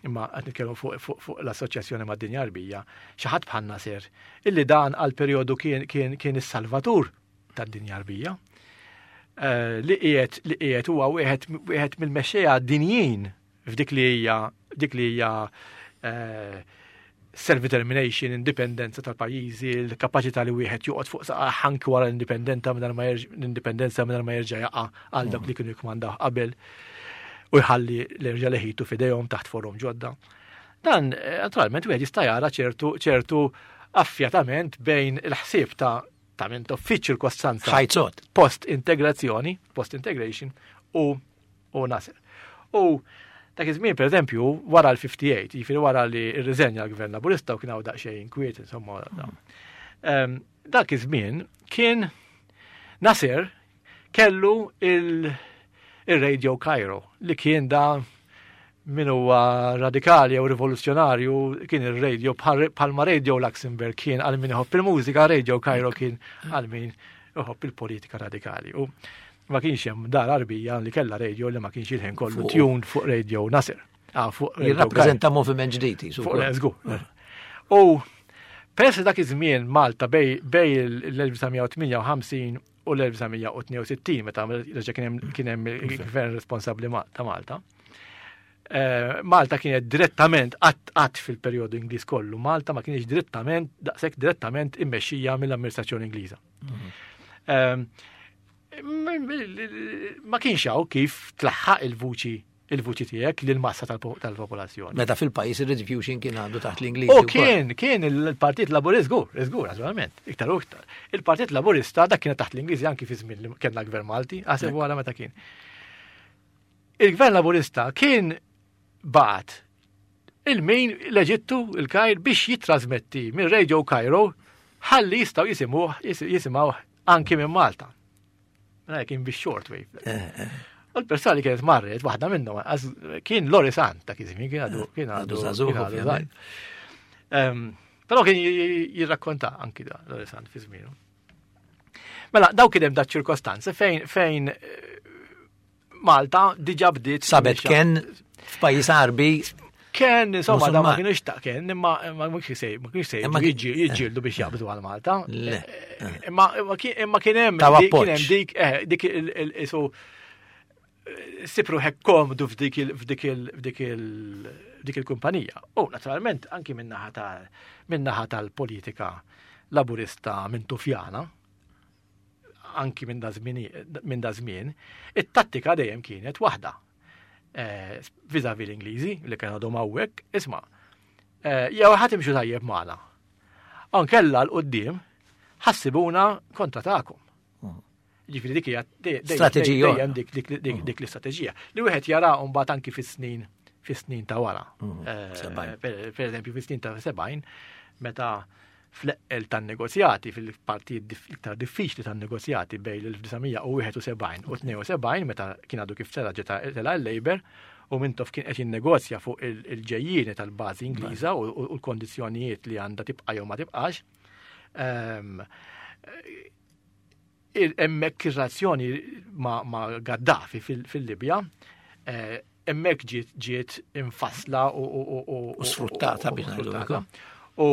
Speaker 3: imma qed nitkellmu fuq fu, fu l-Assoċjazzjoni mad-Dinja Għarbija, xi ħadd bħal Nasser, illi dan għal perjodu kien kien kien is-salvatur tad-Dinja Għarbija. Uh, li qiegħed li qiegħed huwa wieħed wieħed mill-mexxejja dinjin f'dik li hija dik li hija uh, self-determination, indipendenza tal-pajjiżi, l-kapaċità li wieħed joqgħod fuq saqajh anki wara l-indipendenza mingħajr ma l-indipendenza mingħajr ma jerġa' jaqa' għal dak li kienu jkmandaw qabel u jħalli l-erġa' leħitu f'idejhom taħt forum ġodda. Dan, eh, naturalment, wieħed jista' jara ċertu ċertu affjatament bejn il-ħsieb ta' ta' minn fiċ-ċirkostanza.
Speaker 1: Ħajzot.
Speaker 3: Post-integrazzjoni, post-integration u u Nasser. U dak iż-żmien, pereżempju, wara l-ħamsa u ħamsin, jiġifieri wara li rriżenja l-Gvern Laburista u kien hawn daqsxejn inkwiet, insomma, mm. dak iż-żmien kien Nasser kellu il-Radio Cairo li kien da min huwa radikali jew rivoluzzjonarju, kien il-radio bħalma Radio Luxembourg kien għal min iħobb il-mużika, Radio Cairo kien għal min iħobb il-politika radikali. U ma kienx hemm dar Għarbija li kellha radio li ma kienx il-ħin kollu tuned fuq Radio Nasser.
Speaker 1: Ah, fuq Jirrappreżenta moviment ġdid.
Speaker 3: Fuq żgur. U peress dak iż-żmien Malta bejn l-elf disa' mija u tmienja u ħamsin u l-elf disa' mija u tnejn u sittin, meta reġa' kien hemm il-gvern responsabbli ta' Malta. Eh, Malta kienet direttament qatt fil-perjodu Ingliż kollu, Malta ma kienx direttament daqshekk direttament immexxija mill-amministrazzjoni Ingliża. Mhm. Ehm, ma kienx hawn kif tlaħħaq il-vuċi il-vuċi tiegħek lil massa tal-popolazzjoni.
Speaker 1: Meta fil-pajjiż ir-rediffusion kien għandu taħt l-Ingliż.
Speaker 3: U kien, kien il-Partit Laburista, żgur, żgur, naturalment, iktar u iktar. Il-Partit Laburista dak kien taħt l-Ingliżi anki fi żmien li kellna gvern Malti, għaseb wara meta kien. Il-Gvern Laburista kien bagħat il-min l-Eġittu, il-Kajr, biex jitrasmetti minn Radio Cairo ħalli jistgħu jisimgħuh jisimgħuh anki minn Malta. Mela kien bix shortwave. Eh, eh. U l-persona li kienet marret, waħda minnhom, kien Lorry Sant ta' kizmi, kien għadu kien
Speaker 1: għadu żagħżugħ.
Speaker 3: Però kien jirrakkonta anki da Lorry Sant fi żmienu. Mela, daw kien hemm da ċirkostanzi fejn fejn eh, Malta diġà bdiet
Speaker 1: Sabet kien f'pajjiż Għarbi.
Speaker 3: Ken, insomma, da ma kienux ta' ken, imma ma kienx sej, ma kienx sej, jiġġieldu biex jaqbdu għal Malta. Imma imma kien hemm kien hemm dik eh, dik il-isu sibru hekk komdu f'dik f'dik f'dik dik il-kumpanija. U naturalment anki min-naħa tal min-naħa tal-politika Laburista Mintufjana, anki minn da żmien, it-tattika dejjem kienet waħda. Eh, vis-à-vis l-Ingliżi li kienu għadhom hawnhekk, isma' eh, jew ħa timxu tajjeb magħna. Ankella 'l quddiem ħa ssibuna kontra tagħkom. Hmm. Ġifieri dik hija
Speaker 1: strateġija.
Speaker 3: Dejjem dik dik l-istrateġija. Li wieħed jara mbagħad anki fis-snin fis-snin ta' wara. Hmm. Eh, per eżempju fis-snin ta' sebgħin meta fl-eqqel tan-negozjati, fil-partijiet iktar diffiċli tan-negozjati bejn l-elf disa' mija u wieħed u sebgħin u tnejn u sebgħin, meta kien għadu kif tela' ġeta tela' l-Labour, u Mintoff kien qed jinnegozja fuq il-ġejjieni tal-bażi Ingliża u l-kondizzjonijiet li għandha tibqa' jew ma tibqax. Ehm, hemmhekk ir-relazzjoni ma' Gaddafi fil-Libja, eh, hemmhekk ġiet infassla
Speaker 1: u sfruttata biex ngħidu.
Speaker 3: U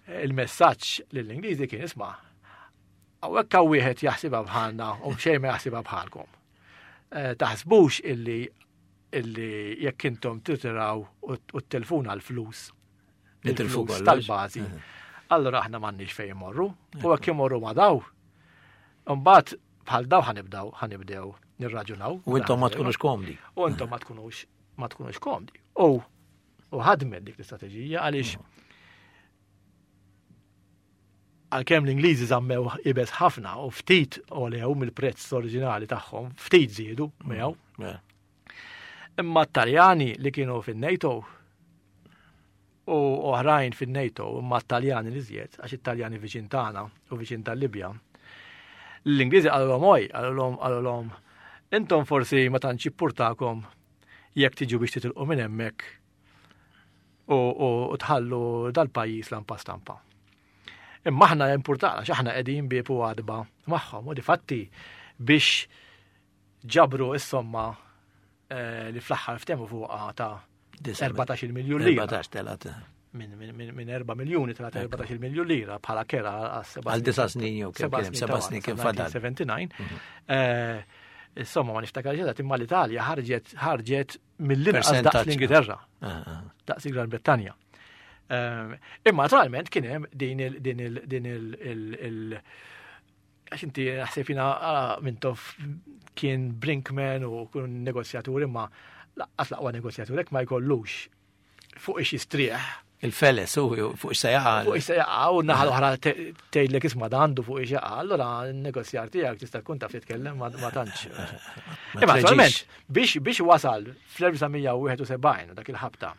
Speaker 3: il-messaġġ lill-Ingliżi kien isma', hawnhekk hawn wieħed jaħsibha bħalna u xejn ma jaħsibha bħalkom. Eh, taħsbux illi illi jekk intom titiraw u t-telfuna l-flus, il-flus tal-bażi, allura aħna m'għandniex fejn imorru, u jekk imorru ma daw, imbagħad bħal daw ħanibdaw, ħanibdew nirraġunaw.
Speaker 1: U intom ma tkunux komdi.
Speaker 3: U intom ma tkunux, ma tkunux komdi. U, u ħadmet dik l-istrateġija għaliex għalkemm l-Ingliżi żammew ibes ħafna u ftit olew mill-prezz oriġinali tagħhom, ftit żiedu miegħu. Imma t-Taljani li kienu fin-NATO u oħrajn fin-NATO, imma t-Taljani li żjed, għax it-Taljani viċin tagħna u viċin tal-Libja. L-Ingliżi qalulhom oj, qalulhom, qalulhom, intom forsi ma tantx jippurtakom jekk tiġu biex titilqu minn hemmhekk u, u, u tħallu dal-pajjiż lampa stampa. Imma aħna importana, għax aħna qegħdin bieb u għadba magħhom, u difatti biex ġabru is-somma, eh, li fl-aħħar ftehmu fuqha ta' erbatax-il miljun lira.
Speaker 1: Erbatax telat.
Speaker 3: Minn, minn, minn, minn erba' miljuni telat erbatax-il miljun lira bħala kera għas seba'
Speaker 1: Għal disa' snin jew kemm
Speaker 3: seba'
Speaker 1: kien hemm,
Speaker 3: snin
Speaker 1: seba'
Speaker 3: ta'
Speaker 1: snin
Speaker 3: wara,
Speaker 1: kien fadal.
Speaker 3: nineteen seventy-nine.
Speaker 1: Mhm.
Speaker 3: Eh, insomma, ma niftakarx eżatt, imma l-Italja ħarġet, ħarġet mill-inqas daqs
Speaker 1: Percentaġġ.
Speaker 3: l-Ingilterra.
Speaker 1: Ah, ah.
Speaker 3: Daqs il-Gran Brittanja. Ehm, imma naturalment kien hemm din il-, din il-, din il-, il-, il-, għax inti naħseb jiena, ah, Mintoff kien Brinkman u kun negozjatur, imma laqqas laqwa negozjatur hekk ma jkollux fuq ix jistrieħ.
Speaker 1: Il-feles, u fuq ix se jaqa'.
Speaker 3: Fuq ix se jaqa', u naħa l-oħra te-, tgħidlek isma' da għandu fuq ix jaqa', allura n-negozjar tiegħek tista' tkun taf titkellem ma-, ma tantx.
Speaker 1: Ma
Speaker 3: Imma
Speaker 1: treġix.
Speaker 3: naturalment, biex, biex wasal fl-elf disa' mija u wieħed u sebgħin dak il-ħabta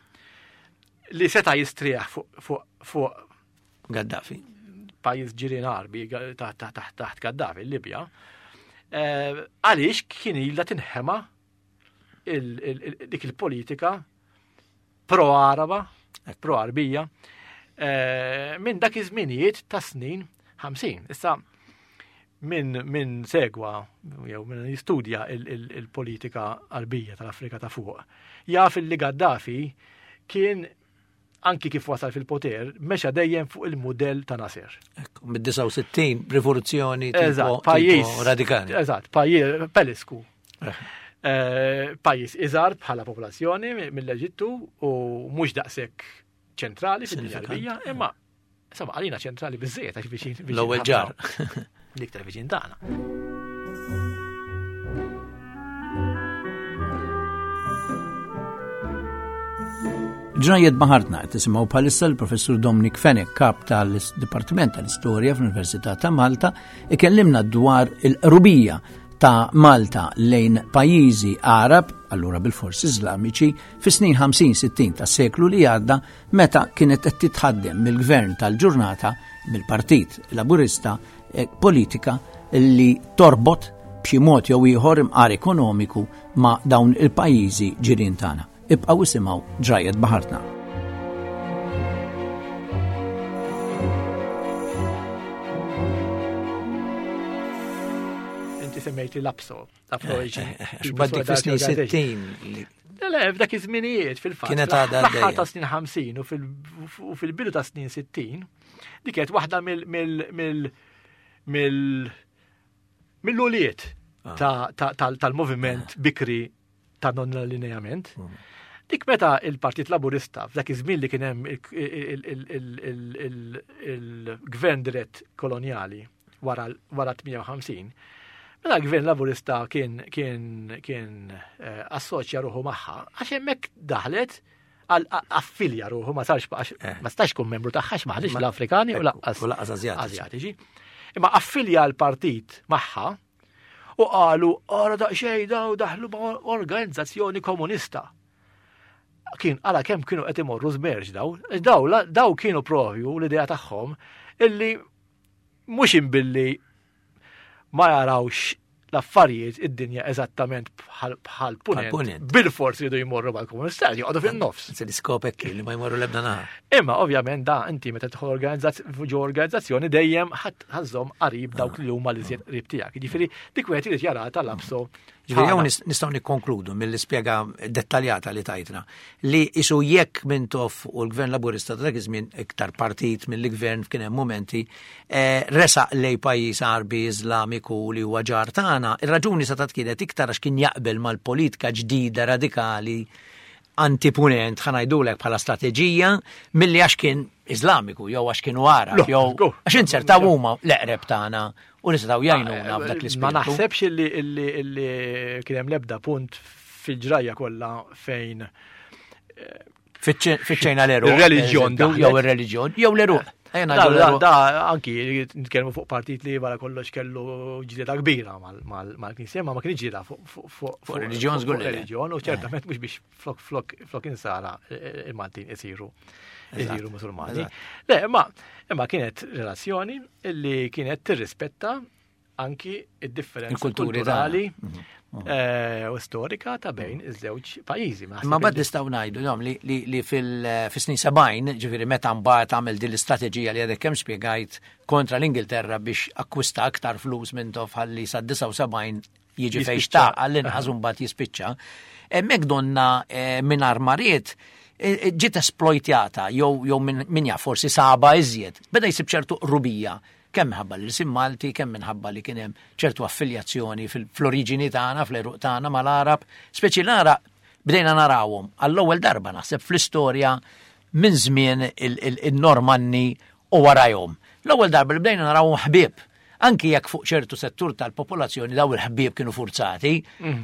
Speaker 3: li seta' jistrieħ fuq, fuq, fuq
Speaker 1: Gaddafi.
Speaker 3: pajjiż ġirien Għarbi, ga-, taħt, taħt, taħt, taħt Gaddafi, Libja, eh, għaliex kien ilha tinħema il-, il-, il-, dik il-politika pro-Araba, pro-Arbija, eh, minn dak iż-żminijiet ta' snin ħamsin. Issa, min, min segwa, jew min jistudja il-, il-, il-politika Arbija tal-Afrika ta' fuq, jaf li Gaddafi kien anki kif wasal fil-poter, mexa dejjem fuq il-mudell ta' Nasser.
Speaker 1: Ekku, mid-disgħa u sittin, rivoluzzjoni tipo,
Speaker 3: Eżatt,
Speaker 1: tipo
Speaker 3: pajjiż
Speaker 1: radikali.
Speaker 3: Eżatt, pajjiż Pelisku.
Speaker 1: Eh.
Speaker 3: Eh, pajjiż iżgħar bħala popolazzjoni mi-, mill-Eġittu u mhux daqshekk ċentrali fid-dinja
Speaker 1: Sinifikant.
Speaker 3: Arbija, imma insomma għalina ċentrali biżżejjed għax viċin, viċin
Speaker 1: L-ewwel
Speaker 3: ħafna.
Speaker 1: ġar.
Speaker 3: L-iktar viċin tagħna.
Speaker 1: Ġrajjet Baħartna qed tisimgħu bħalissa l-Professur Dominic Fenech, kap tal-Dipartiment tal-Istorja fl-Università ta' Malta, ikellimna dwar il-qrubija ta' Malta lejn pajjiżi Arab, allura bil-forsi Iżlamiċi, fis-snin ħamsin sittin tas-seklu li għadda, meta kienet qed titħaddem mill-gvern tal-ġurnata, mill-Partit Laburista, eh, politika li torbot b'xi mod jew ieħor imqar ekonomiku ma' dawn il-pajjiżi ġirien tagħna. Ibqgħu isimgħu Ġrajjet Baħartna.
Speaker 3: Inti semmejti l-APSO, l-APSO
Speaker 1: Eh,
Speaker 3: Asian
Speaker 1: eh, eh,
Speaker 3: People's
Speaker 1: X'baddik fis-snin
Speaker 3: Solidarity
Speaker 1: sittin li
Speaker 3: Le, le, f'dak iż-żminijiet fil-fatt.
Speaker 1: Kienet għadha
Speaker 3: Fl-aħħar
Speaker 1: għaddejja.
Speaker 3: ta' snin ħamsin u fil-, u fil-bidu ta' snin sittin, dik kienet waħda mill-, mill-, mill-, mill-, mill-uliet
Speaker 1: Ah.
Speaker 3: ta', ta', tal-, tal-moviment bikri ta' non-allineament.
Speaker 1: Mm.
Speaker 3: Dik meta il-Partit Laburista f'dak iż-żmien li kien hemm il-, il-, il-, il-, il-, il-, il-gvern dirett kolonjali wara, wara tmija u ħamsin, meta l-gvern Laburista kien, kien, kien, eh, assoċja ruħu magħha, għax hemmhekk daħlet għal affilja ruħu, ma sarx għax
Speaker 1: Eh.
Speaker 3: ma stax kun membru tagħha għax ma ħadix
Speaker 1: Ma-
Speaker 3: l-Afrikani u
Speaker 1: Ekku,
Speaker 3: laqqas
Speaker 1: u laqqas Azjatiċi.
Speaker 3: Azjatiċi. Imma affilja l-partit magħha u qalu ara daqsxejn daw daħlu ma' organizzazzjoni komunista. Kien għala kemm kienu qed imorru żmerġ daw, daw daw kienu propju l-idea tagħhom illi mhux imbilli ma jarawx l-affarijiet id-dinja eżattament bħal punent. Bil-forsi jridu jmorru mal-komunista, joqogħdu fin-nofs.
Speaker 1: Se l-iskop hekk li ma jmorru l-ebda naħa.
Speaker 3: Imma ovvjament da inti meta tidħol ġo organizzazzjoni dejjem ħażhom qarib dawk li huma l-iżjed qrib tiegħek. Jiġifieri dik wieħed irid jara tal-abso.
Speaker 1: Ġifieri hawn nistgħu nikkonkludu mill-ispjega dettaljata li tajtna li isu jekk Mintoff u l-Gvern Laburista ta' dak iż-żmien iktar partit mill-gvern kien hemm mumenti resaq lej pajjiż Għarbi Iżlamiku li huwa ġar tagħna, ir-raġuni sa kienet iktar għax kien jaqbel mal-politika ġdida radikali antipunent ħa ngħidulek bħala strateġija milli għax kien Iżlamiku jew għax kienu Għarab jew għax inzertaw huma l-eqreb tagħna u nistgħu jgħinuna f'dak l-ispirtu.
Speaker 3: Ma naħsebx illi illi kien hemm l-ebda punt fil-ġrajja kollha fejn
Speaker 1: fiċċejna l-eruq.
Speaker 3: Ir-reliġjon
Speaker 1: jew ir-reliġjon jew l-eruq.
Speaker 3: Da, anki nitkellmu fuq partit li wara kollox kellu ġlieda kbira mal-Knisja, ma ma kienx ġlieda fuq
Speaker 1: reliġjon żgur
Speaker 3: reliġjon u ċertament mhux biex flok flok flok insara il-Maltin isiru isiru Musulmani. Le, imma imma kienet relazzjoni li kienet tirrispetta anki id-differenza kulturali u storika ta' bejn iż-żewġ pajjiżi.
Speaker 1: Ma bad nistgħu ngħidu jom li li fil-snin sebgħin, ġifieri meta mbagħad għamel din l-istrateġija li għadek kemm spjegajt kontra l-Ingilterra biex akkwista aktar flus Mintoff ħalli sa disgħa u sebgħin jiġi fejn xtaq għall-inqas mbagħad jispiċċa. Hemmhekk donna mingħajr mariet ġiet esploitjata jew jew min jaf forsi saba iżjed. Beda jsib ċertu qrubija kemm minħabba l-isim Malti, kemm minħabba li kien hemm ċertu affiljazzjoni fl-oriġini tagħna, fl-eruq tagħna mal-Għarab, speċi l-Għarab bdejna narawhom għall-ewwel darba naħseb fl-istorja minn żmien il-Normanni u warajhom. L-ewwel darba li bdejna narawhom ħbieb, anki jekk fuq ċertu settur tal-popolazzjoni daw il-ħbieb kienu forzati,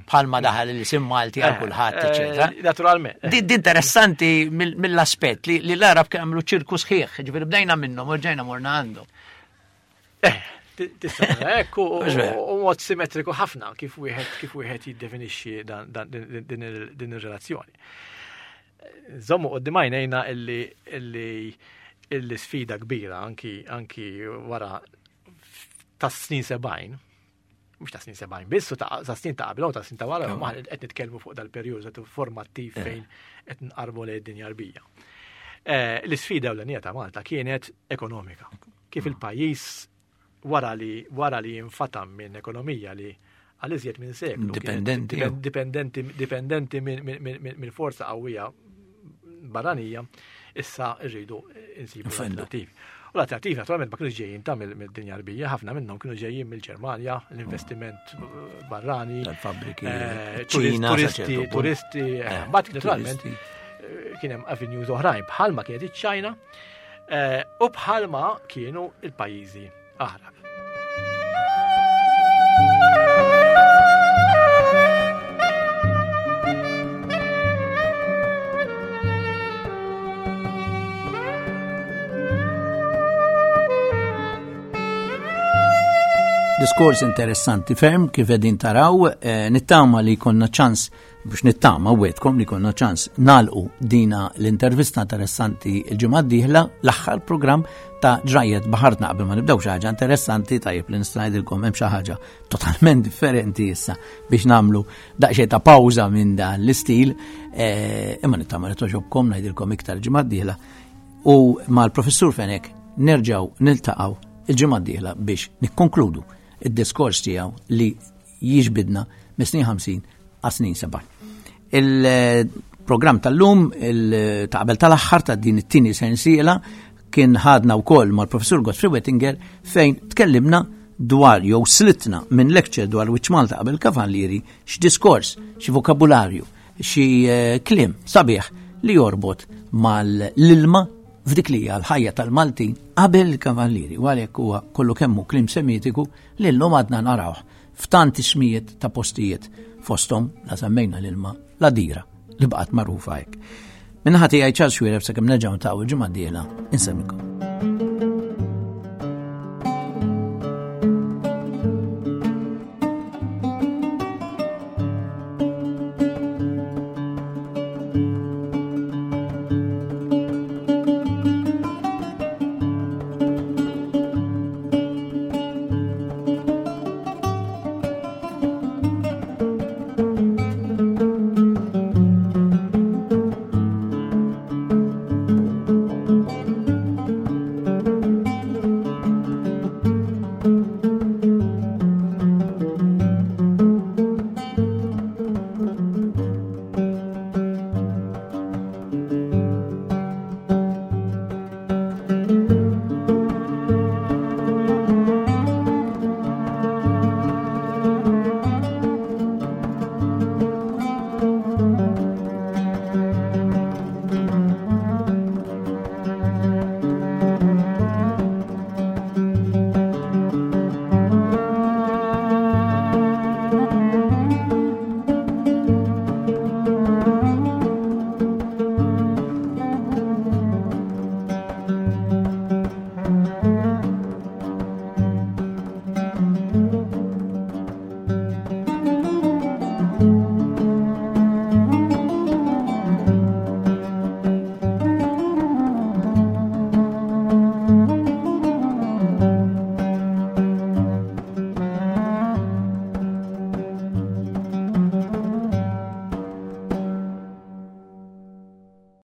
Speaker 1: bħalma daħal l-isim Malti għal kulħadd, eċetera.
Speaker 3: Naturalment.
Speaker 1: Din interessanti mill-aspett li l-Għarab kienu għamlu ċirku sħiħ, ġifieri bdejna minnhom u rġajna morna għandhom.
Speaker 3: Eh, tista' hekk u mod simmetriku ħafna kif wieħed kif wieħed jiddefinixxi din ir-relazzjoni. Żommu quddiem għajnejna illi illi illi sfida kbira anki anki wara tas-snin sebgħin, mhux ta' snin sebgħin biss, u ta' snin ta' qabel u ta' snin ta' wara, ma qed nitkellmu fuq dal-perjodu formattiv fejn qed nqarbu lejn id-dinja Għarbija. L-isfida ewlenija ta' Malta kienet ekonomika. Kif il-pajjiż wara li wara li jinfatam minn ekonomija li għal iżjed minn seklu
Speaker 1: dipendenti
Speaker 3: dipendenti dipendenti minn forza qawwija barranija, issa rridu insibu alternattivi. U l-alternattivi naturalment ma kienux ġejjin ta' mid-dinja Għarbija, ħafna minnhom kienu ġejjin mill-Ġermanja, l-investiment barrani,
Speaker 1: tal-fabbriki,
Speaker 3: turisti, turisti, mbagħad naturalment kien hemm avenues oħrajn bħalma kienet iċ-Ċina u bħalma kienu il-pajjiżi Għarab.
Speaker 1: Diskors interessanti ferm kif qegħdin taraw, eh, nittama li konna ċans biex nittama wetkom li konna ċans nalqu dina l-intervista interessanti il-ġimgħa d-dieħla, l-aħħar programm ta' Ġrajjet Baħartna. Qabel ma nibdew xi ħaġa interessanti tajjeb li nista' ngħidilkom hemm xi ħaġa totalment differenti issa biex nagħmlu daqsxejn ta' pawża minn dan l-istil, eh, imma nittama li toġobkom ngħidilkom iktar ġimgħa d-dieħla u mal-professur Fenech nerġgħu niltaqgħu il-ġimgħa d-dieħla biex nikkonkludu id-diskors tiegħu li jiġbidna mis-snin ħamsin għas snin sebgħin. Il-programm tal-lum, ta' qabel tal-aħħar ta' din it-tieni sensiela, kien ħadna wkoll mal-professur Godfrey Wettinger fejn tkellimna dwar jew slitna minn lecture dwar Wiċċ Malta qabel Kavallieri x'diskors, xi vokabularju, xi kliem sabiħ li jorbot mal-ilma f'dik li hija l-ħajja tal-Maltin qabel il-Kavallieri, u għalhekk huwa kollu kemm hu kliem semitiku li llum għadna narawh f'tant ismijiet ta' postijiet fosthom la semmejna l-ilma la dira li baqgħet magħrufa hekk. Minnaħa tiegħi Charles Xuereb sakemm nerġgħu niltaqgħu il-ġimgħa d-dieħla insemmilkom.